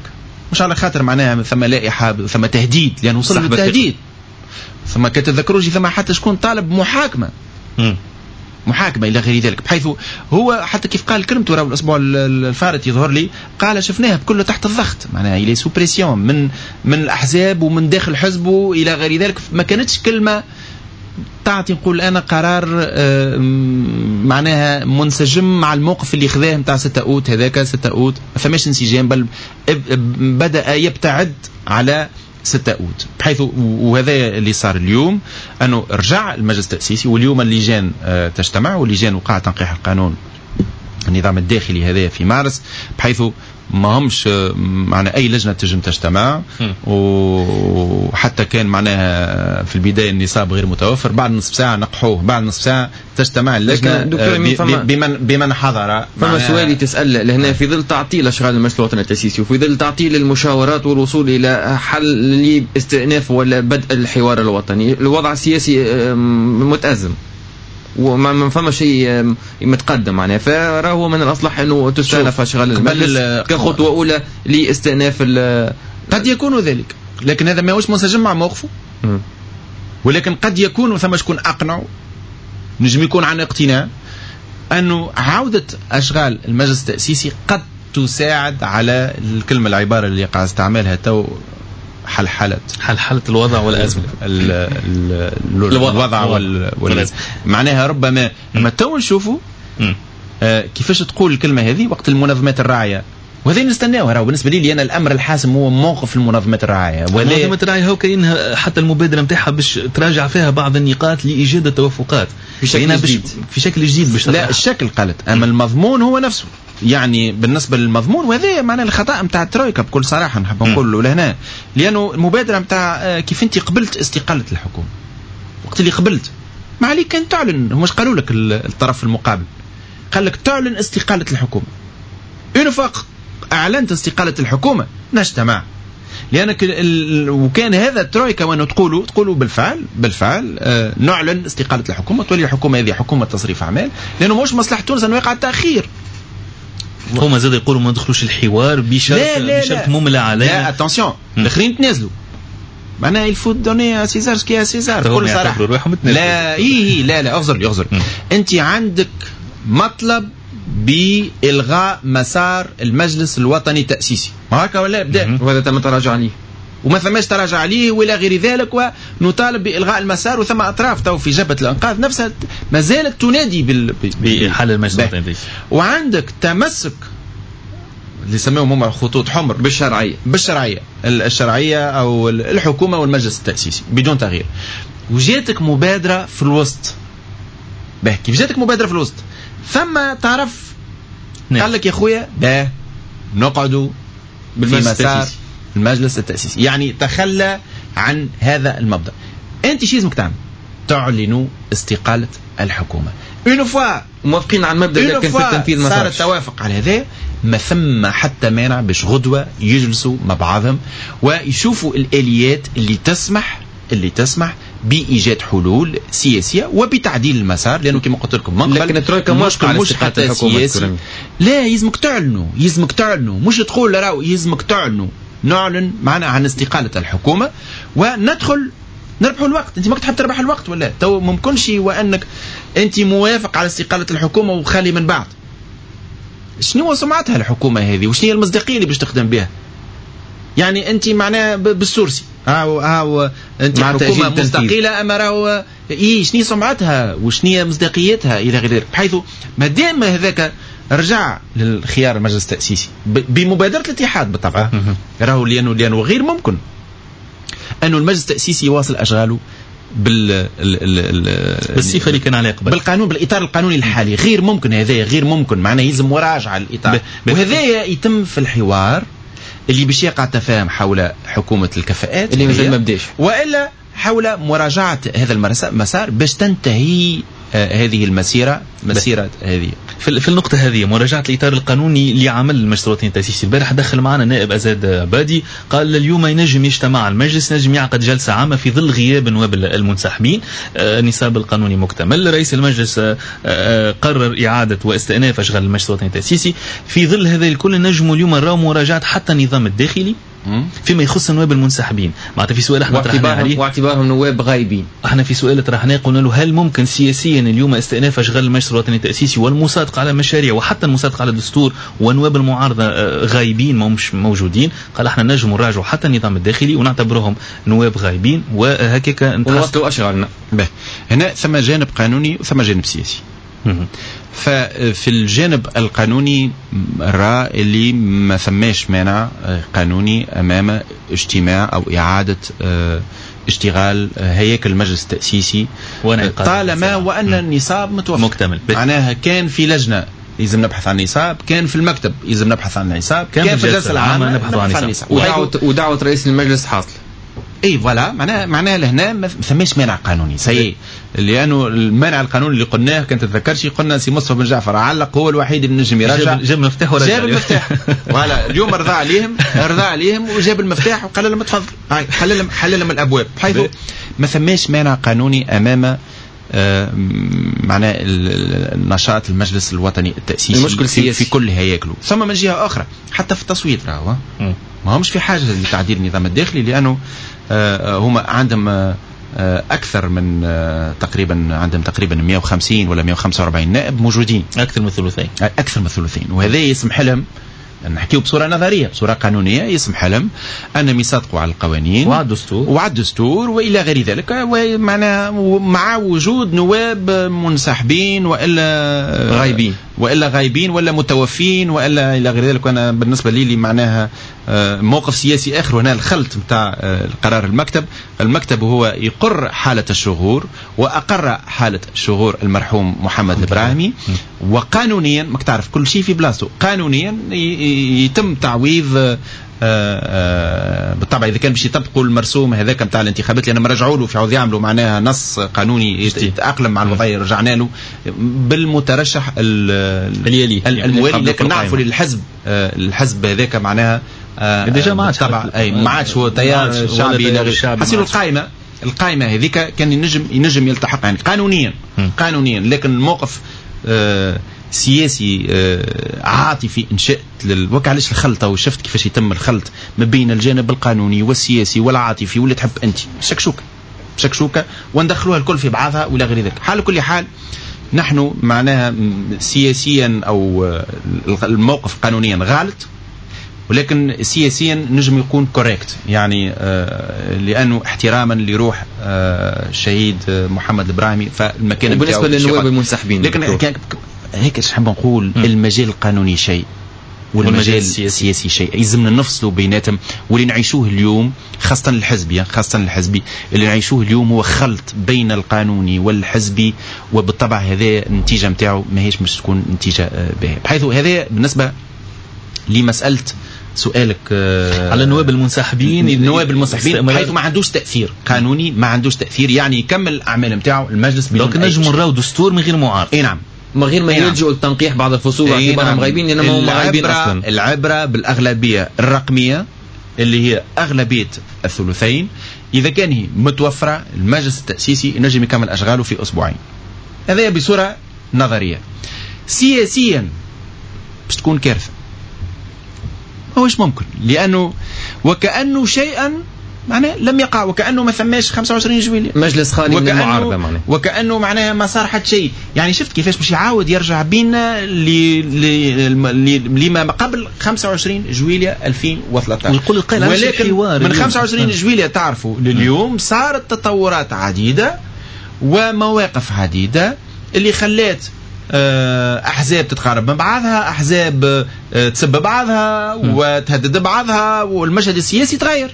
مش على خاطر معناها ثم لائحة ثم تهديد، لأنه وصل للتهديد. ثم كتذكروش ثم حتى شكون طالب محاكمة م. محاكمة إلى غير ذلك، بحيث هو حتى كيف قال كلمته راهو الأسبوع الفارط يظهر لي قال شفناها بكله تحت الضغط، معناها il est sous pression من من الأحزاب ومن داخل حزبه إلى غير ذلك. ما كانتش كلمة تعطي نقول أنا قرار معناها منسجم مع الموقف اللي خذاه نتاع ستة أوت. هذاك ستة أوت ما فماش انسجام، بل بدأ يبتعد على ستة أوت، بحيث وهذا اللي صار اليوم أنه رجع المجلس التأسيسي، واليوم اللجان تجتمع، واللجان وقع تنقيح القانون النظام الداخلي هذا في مارس، بحيث ما همش معنا أي لجنة تجم تجتمع، وحتى كان معناها في البداية النصاب غير متوفر، بعد نصف ساعة نقحوه، بعد نصف ساعة تجتمع اللجنة بمن بمن حضر. فما سؤالي تسأل لهنا، في ظل تعطيل أشغال المجلس الوطني التأسيسي وفي ظل تعطيل المشاورات والوصول إلى حل لاستئناف ولا بدء الحوار الوطني، الوضع السياسي متأزم وما فما شيء متقدم معناها، فراهو من الاصلح انه تستأنف اشغال المجلس كخطوه اولى لاستئناف. قد يكون ذلك، لكن هذا ماهوش منسجم مع موقفه، ولكن قد يكون ثم شكون اقنعه، نجم يكون عن اقتناع انه عوده اشغال المجلس التاسيسي قد تساعد على الكلمة العبارة اللي قاعد استعملها تو، حلحلة حلحلة الوضع والأزمة، ال ال الوضع وال والأزمة. معناها ربما لما تو نشوفوا آه كيفاش تقول الكلمة هذه وقت المنظمات الراعية وهذا نستناوه. راهو بالنسبة لي انا الامر الحاسم هو موقف المنظمات الرعاية. منظمة الرعاية هو كاينها حتى المبادرة نتاعها باش تراجع فيها بعض النقاط لايجاد التوافقات في شكل جديد، في شكل جديد باش لا الشكل قالت، اما المضمون هو نفسه. يعني بالنسبة للمضمون وهذا معناه الخطا نتاع الترويكا بكل صراحة نحب نقول له لهنا، لانه المبادرة نتاع كيف انت قبلت استقالة الحكومة وقت اللي قبلت ما عليك كان تعلن. همش قالوا لك الطرف المقابل قال لك تعلن استقالة الحكومة. une fois اعلنت استقالة الحكومة نجتمع، لانك ال... وكان هذا الترويكا وانه تقولوا تقولوا بالفعل بالفعل آه نعلن استقالة الحكومة، تولي الحكومة هذه حكومة تصريف اعمال، لانه مش مصلحة تونس انه يقع التاخير. هما زاد يقولوا ما ندخلوش الحوار بشرط لا لا بشرط مملى علينا. لا attention الاخرين تنازلوا، معناها il faut donner à César ce qui est à César بكل صراحة. لا اي لا لا اغزر اغزر انت عندك مطلب بإلغاء مسار المجلس الوطني التأسيسي، ما هكا ولا بدا، وهذا تم التراجع عليه وما ثماش تراجع عليه ولا غير ذلك، ونطالب بإلغاء المسار. وثم أطراف تو في جبهة الإنقاذ نفسها ما زالت تنادي بال... بحل المجلس الوطني التأسيسي. وعندك تمسك اللي سموهم هم خطوط حمر بالشرعية بالشرعية الشرعية أو الحكومة والمجلس التأسيسي بدون تغيير. وجاتك مبادرة في الوسط. به كيف جاتك مبادرة في الوسط؟ ثم طرف قال لك يا خويا باه نقعدوا في مسار المجلس التأسيسي، يعني تخلى عن هذا المبدأ. انت شو لازمك تعمل؟ تعلن استقالة الحكومة. une fois موافقين على المبدأ لكن في التنفيذ ما صار التوافق على هذا، ما ثم حتى مانع باش غدوة يجلسوا مع بعضهم ويشوفوا الآليات اللي تسمح اللي تسمح بإيجاد حلول سياسية وبتعديل المسار، لأنه كما قلت لكم من قبل لكن الترويكا مش مش حتى سياسي. لا يلزمك تعلنوا، يلزمك تعلنوا، مش تقول راهو يلزمك تعلنوا. نعلن معنا عن استقالة الحكومة وندخل نربحوا الوقت. انت ما تحب تربح الوقت ولا تو ممكنش وانك انت موافق على استقالة الحكومة وخالي من بعد. شنو سمعتها الحكومة هذه وشنو هي المصداقية اللي باش تخدم بها؟ يعني انت معناها بال sursis هاو هاو انت حكومة مستقلة اما راهو اي شنو سمعتها وشنو هي مصداقيتها الى غير ذلك. بحيث ما دام هذاك رجع للخيار المجلس التاسيسي بمبادرة الاتحاد بالطبع، راهو لانه لانه غير ممكن انه المجلس التاسيسي يواصل اشغاله بال بالصفة اللي كان عليها قبل، بالقانون بالاطار القانوني الحالي. غير ممكن هذا، غير ممكن، معناه يلزم مراجعه الاطار، وهذا يتم في الحوار اللي باش يقع تفاهم حول حكومة الكفاءات اللي مازال ما بداش، والا حول مراجعه هذا المسار باش تنتهي هذه المسيرة، مسيره هذه. في النقطة هذه مراجعة الإطار القانوني لعمل المجلس الوطني التأسيسي، البارح دخل معنا نائب أزاد عبادي قال اليوم ينجم يجتمع المجلس، نجم يعقد جلسة عامة في ظل غياب نواب المنسحبين، النصاب القانوني مكتمل، رئيس المجلس قرر إعادة واستئناف أشغال المجلس الوطني التأسيسي. في ظل هذا الكل نجم اليوم نراو مراجعة حتى النظام الداخلي فيما يخص النواب المنسحبين. معناتها في سؤال احنا طرحناه عليه واعتبارهم نواب غايبين، احنا في سؤال طرحناه قلنا له هل ممكن سياسيا اليوم استئناف اشغال المجلس الوطني التاسيسي والمصادقه على مشاريع وحتى المصادقة على الدستور ونواب المعارضة غايبين ما همش موجودين؟ قال احنا نجم نراجعوا حتى النظام الداخلي ونعتبرهم نواب غايبين وهكاك نواصلوا اشغالنا. هنا ثم جانب قانوني وثم جانب سياسي. ففي الجانب القانوني رأى اللي ما ثماش مانع قانوني أمام اجتماع أو إعادة اشتغال هياكل المجلس التأسيسي طالما وأن النصاب متوفر مكتمل. معناها كان في لجنة لازم نبحث عن نصاب، كان في المكتب لازم نبحث عن نصاب، كان في الجلسة العامة نبحث عن نصاب، ودعوة, ودعوة رئيس المجلس حاصل. اي voilà، معناها معناها لهنا ما ثماش مانع قانوني سيء، لانه المانع القانوني اللي قلناه كنت تتذكرش قلنا سي مصطفى بن جعفر علق هو الوحيد اللي نجم يرجع، جاب المفتاح ورجع، جاب المفتاح voilà. اليوم رضى عليهم، رضى عليهم وجاب المفتاح وقال لهم تفضل، هاي حل لهم حل لهم الابواب، بحيث ما ثماش مانع قانوني امام معناه النشاط المجلس الوطني التأسيسي المشكل في, في كل هياكله. ثم من جهة أخرى حتى في التصويت راهو ما همش في حاجة لتعديل النظام الداخلي، لأنه هما عندهم أكثر من تقريبا عندهم تقريبا مئة وخمسين ولا مئة وخمسة وأربعين نائب موجودين، أكثر من ثلثين، أكثر من ثلثين، وهذا يسمح لهم نحكيو بصورة نظرية، بصورة قانونية يسمح لهم انهم يصادقوا على القوانين وعلى الدستور وعلى الدستور والى غير ذلك، ومعناها مع وجود نواب منسحبين والا غايبين والا غايبين ولا متوفين والا الى غير ذلك. وانا بالنسبة لي لي معناها موقف سياسي اخر، وهنا الخلط نتاع قرار المكتب. المكتب هو يقر حاله الشغور واقر حاله شغور المرحوم محمد الابراهيمي، وقانونيا ماك تعرف كل شيء في بلاصته، قانونيا يتم تعويض بالطبع اذا كان باش يطبقوا المرسوم هذاك نتاع الانتخابات، لان رجعوا له في عوض يعملوا معناها نص قانوني يتاقلم مع الوضعية، رجعنا له بالمترشح اليلي الموالي. لكن نعرفوا للحزب الحزب هذاك معناها déjà ما عادش اي ما عادش هو تيار شعبي، حسيلو القائمة القائمة هذيك كان ينجم ينجم يلتحق يعني قانونيا قانونيا، لكن الموقف آه سياسي آه عاطفي انشأت لل... علاش الخلطة، وشفت كيفاش يتم الخلط ما بين الجانب القانوني والسياسي والعاطفي واللي تحب انت، شكشوكه شكشوكه وندخلوها الكل في بعضها ولا غير ذلك. حال كل حال نحن معناها سياسيا او الموقف قانونيا غلط، ولكن سياسيا نجم يكون correct، يعني آه لانه احتراما لروح آه الشهيد محمد الابراهيمي فالمكان. بالنسبة للنواب المنسحبين، لكن هيك اش نحب نقول، المجال القانوني شيء والمجال السياسي شيء، يلزمنا نفصلوا بيناتهم. واللي نعيشوه اليوم خاصة الحزبي، خاصة الحزبي اللي نعيشوه اليوم هو خلط بين القانوني والحزبي، وبالطبع هذا النتيجة نتاعو ماهيش مش تكون نتيجة باهية. بحيث هذا بالنسبة لمسألة سؤالك على النواب المنسحبين، النواب المنسحبين بحيث ما عندوش تأثير قانوني، ما عندوش تأثير، يعني يكمل الأعمال نتاعو المجلس بدون. لكن نجم نراو دستور من غير معارضة. اي نعم، من غير ما يلجؤوا لتنقيح بعض الفصول باعتبارهم نعم. غايبين، لأنهم غايبين أصلا. العبرة بالأغلبية الرقمية اللي هي أغلبية الثلثين، إذا كان هي متوفرة المجلس التأسيسي ينجم يكمل أشغاله في أسبوعين. هذا بصورة نظرية. سياسيا باش تكون كارثة، ماهوش ممكن، لأنه وكأنه شيئا معناه لم يقع، وكأنه ما ثماش خمسة وعشرين جويلية مجلس خالي من المعارضة، معناه وكأنه معناها ما صار حتى شيء. يعني شفت كيفاش باش يعاود يرجع بينا لما قبل خمسة وعشرين جويلية ألفين وثلاثة عشر. ويقول القائل ولكن من خمسة وعشرين جويلية تعرفوا لليوم صارت تطورات عديدة ومواقف عديدة اللي خلات أحزاب تتقارب من بعضها، أحزاب تسب بعضها وتهدد بعضها، والمشهد السياسي تغير.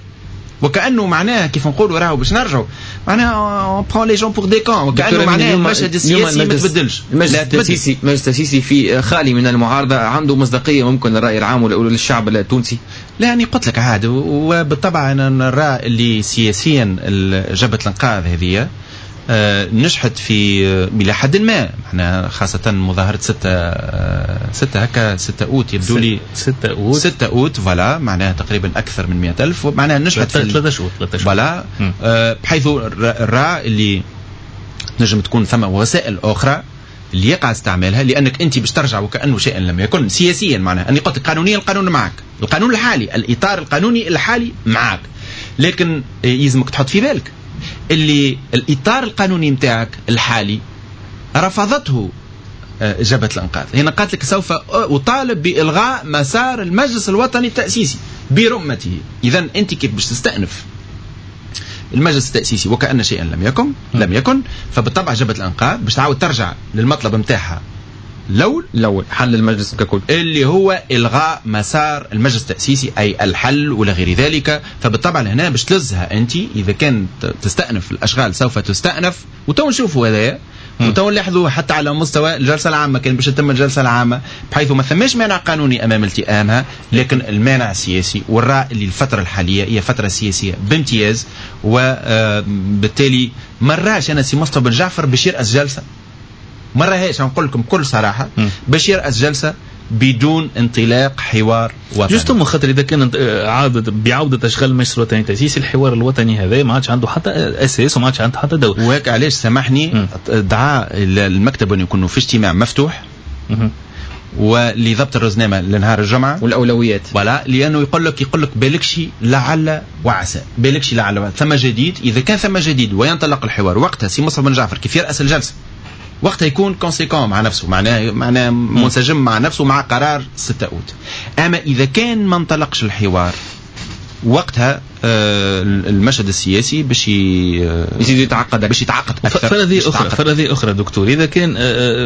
وكأنه معناه كيف نقولوا راهو باش نرجعوا معناه on prend les gens pour des cons، وكأنه معناه المشهد السياسي ما تبدلش. المجلس التأسيسي المجلس التأسيسي في خالي من المعارضة عنده مصداقية ممكن للرأي العام وللشعب التونسي؟ لا يعني قلت لك عاد، وبالطبع أنا نرى اللي سياسيا جبهة الإنقاذ هذه نجحت في إلى حد ما، احنا خاصة مظاهرة ستة ستة هكا ستة أوت يبدو لي ستة أوت ستة أوت voilà، معناها تقريبا أكثر من مئة ألف، معناها نجحت في ثلاثة شهور ثلاثة شهور voilà، بحيث الرأي اللي نجم تكون ثم وسائل أخرى اللي يقع استعمالها، لأنك أنت باش ترجع وكأنه شيء لم يكن سياسيا. معناها أني قلت قانونيا القانون معك، القانون الحالي الإطار القانوني الحالي معك، لكن يلزمك تحط في بالك اللي الإطار القانوني متاعك الحالي رفضته جبهة الإنقاذ. هنا قالت لك سوف أطالب بإلغاء مسار المجلس الوطني التأسيسي برمته. إذن أنت كيف باش تستأنف المجلس التأسيسي وكأن شيئا لم يكن لم يكن، فبالطبع جبهة الإنقاذ باش تعاود ترجع للمطلب متاعها الأول الأول حل المجلس ككل اللي هو إلغاء مسار المجلس التأسيسي أي الحل ولا غير ذلك. فبالطبع هنا باش تلزها أنت إذا كان تستأنف الأشغال سوف تستأنف، وتو نشوفوا هذايا وتو نلاحظوا حتى على مستوى الجلسة العامة كان باش تتم الجلسة العامة بحيث ما ثماش مانع قانوني أمام التئامها، لكن المانع السياسي والرأي اللي الفترة الحالية هي فترة سياسية بامتياز، وبالتالي مراش أنا سي مصطفى بن جعفر باش يرأس جلسة، مرة هيش نقول لكم بكل صراحة باش يرأس جلسة بدون انطلاق حوار وطني. justement خاطر إذا كان عادة بعودة أشغال المجلس الوطني التأسيسي الحوار الوطني هذا ما عادش عنده حتى أساس وما عادش عنده حتى دور. وهيك علاش سامحني دعا المكتب أن يكونوا في اجتماع مفتوح ولضبط الرزنامة لنهار الجمعة والأولويات ولا، لأنه يقول لك يقول لك بالكشي لعل وعسى، بالكشي لعل وعسى. ثم جديد، إذا كان ثم جديد وينطلق الحوار وقتها سي مصطفى بن جعفر كيف يرأس الجلسة وقتها يكون conséquent مع نفسه، معناه معناه منسجم مع نفسه مع قرار ستة أوت. اما اذا كان ما انطلقش الحوار وقتها المشهد السياسي باش يزيد يتعقد، باش يتعقد اكثر. فرضية اخرى، فرضية اخرى دكتور، اذا كان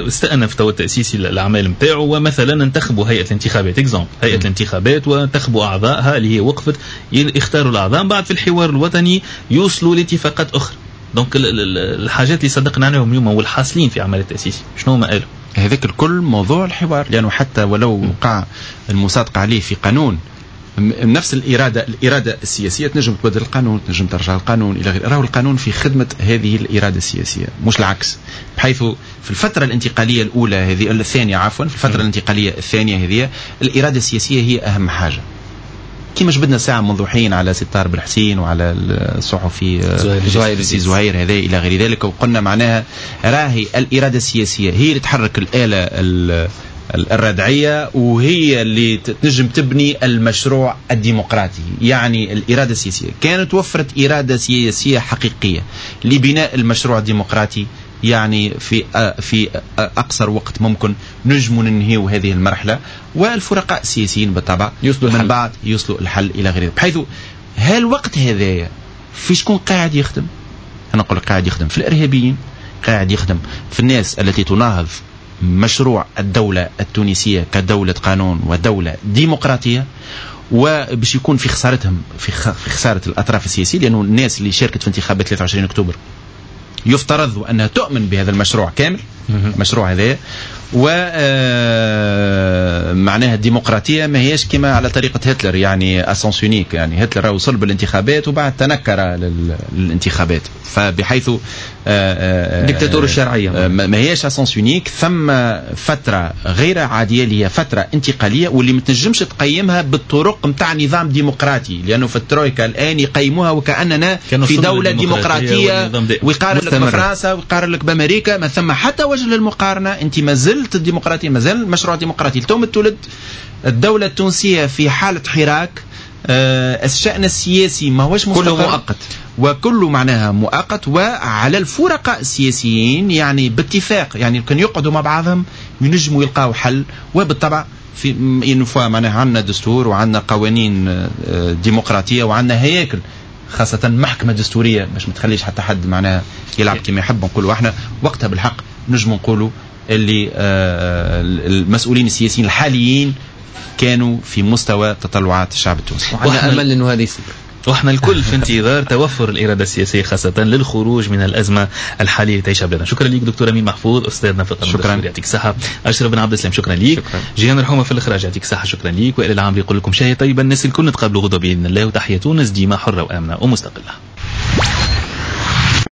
استأنف تو التاسيسي الاعمال نتاعو ومثلا انتخبوا هيئة الانتخابات، exemple هيئة الانتخابات وانتخبوا اعضائها اللي هي وقفت، يختاروا الاعضاء، بعد في الحوار الوطني يوصلوا لاتفاقات اخرى. donc الحاجات اللي صدقنا عليهم اليوم والحاصلين في عمل التاسيسي شنو هما قالوا؟ هذاك الكل موضوع الحوار، لانه حتى ولو وقع المصادقة عليه في قانون، نفس الإرادة الإرادة السياسية تنجم تبدل القانون، تنجم ترجع القانون إلى غيره. راهو القانون في خدمة هذه الإرادة السياسية مش العكس، بحيث في الفترة الانتقالية الأولى هذه الثانية عفوا في الفترة الانتقالية الثانية هذه الإرادة السياسية هي أهم حاجة. كما جبدنا ساعة منذ حين على ستار بالحسين وعلى الصحفي زهير زهير هذا إلى غير ذلك، وقلنا معناها راهي الإرادة السياسية هي اللي تحرك الآلة الردعية وهي اللي تنجم تبني المشروع الديمقراطي. يعني الإرادة السياسية كانت وفرت إرادة سياسية حقيقية لبناء المشروع الديمقراطي، يعني في في أقصر وقت ممكن نجم ننهيو هذه المرحلة، والفرقاء السياسيين بالطبع يوصلوا من بعد يوصلوا الحل إلى غيره. بحيث هالوقت هذايا في شكون قاعد يخدم؟ أنا نقول قاعد يخدم في الإرهابيين، قاعد يخدم في الناس التي تناهض مشروع الدولة التونسية كدولة قانون ودولة ديمقراطية، وباش يكون في خسارتهم في خسارة الأطراف السياسية، لأنه الناس اللي شاركت في انتخابات ثلاثة وعشرين أكتوبر يفترض أنها تؤمن بهذا المشروع كامل، المشروع هذا، ومعناها الديمقراطية ما هيش كما على طريقة هتلر، يعني à sens unique، يعني هتلر وصل بالانتخابات وبعد تنكر للانتخابات، فبحيث ديكتاتور الشرعية ما هيش à sens unique. ثم فترة غير عادية اللي هي فترة انتقالية واللي ما تنجمش تقيمها بالطرق نتاع نظام ديمقراطي، لأنه في الترويكا الآن يقيموها وكأننا في دولة ديمقراطية، ويقارن لك بفرنسا ويقارن لك بأمريكا، ما ثم حتى وجه للمقارنة. أنت ما زلت الديمقراطية، ما زال المشروع الديمقراطي. التوم تولد الدولة التونسية في حالة حراك، آه الشأن السياسي ما هوش مستقر، كله مؤقت، وكله معناها مؤقت، وعلى الفرقاء السياسيين يعني باتفاق، يعني كان يقعدوا مع بعضهم ينجموا يلقاو حل. وبالطبع في une fois معناها عندنا دستور وعندنا قوانين ديمقراطية وعندنا هياكل، خاصة محكمة دستورية باش ما تخليش حتى حد معناها يلعب كما يحب. نقولوا احنا وقتها بالحق نجم نقولوا اللي المسؤولين السياسيين الحاليين كانوا في مستوى تطلعات الشعب التونسي، وعندنا امل انه هذا يصير. واحنا الكل في انتظار توفر الارادة السياسية خاصة للخروج من الازمة الحالية اللي تعيشها بلادنا. شكرا لك دكتور امين محفوظ استاذنا في القانون الدستوري، يعطيك الصحة. اشرف بن عبد السلام شكرا لك. جيهان الحومه في الاخراج يعطيك الصحة، شكرا لك. وائل العامري يقول لكم شهية طيبة، الناس الكل نتقابلوا غدوه باذن الله، وتحية تونس ديما حره وامنه ومستقله.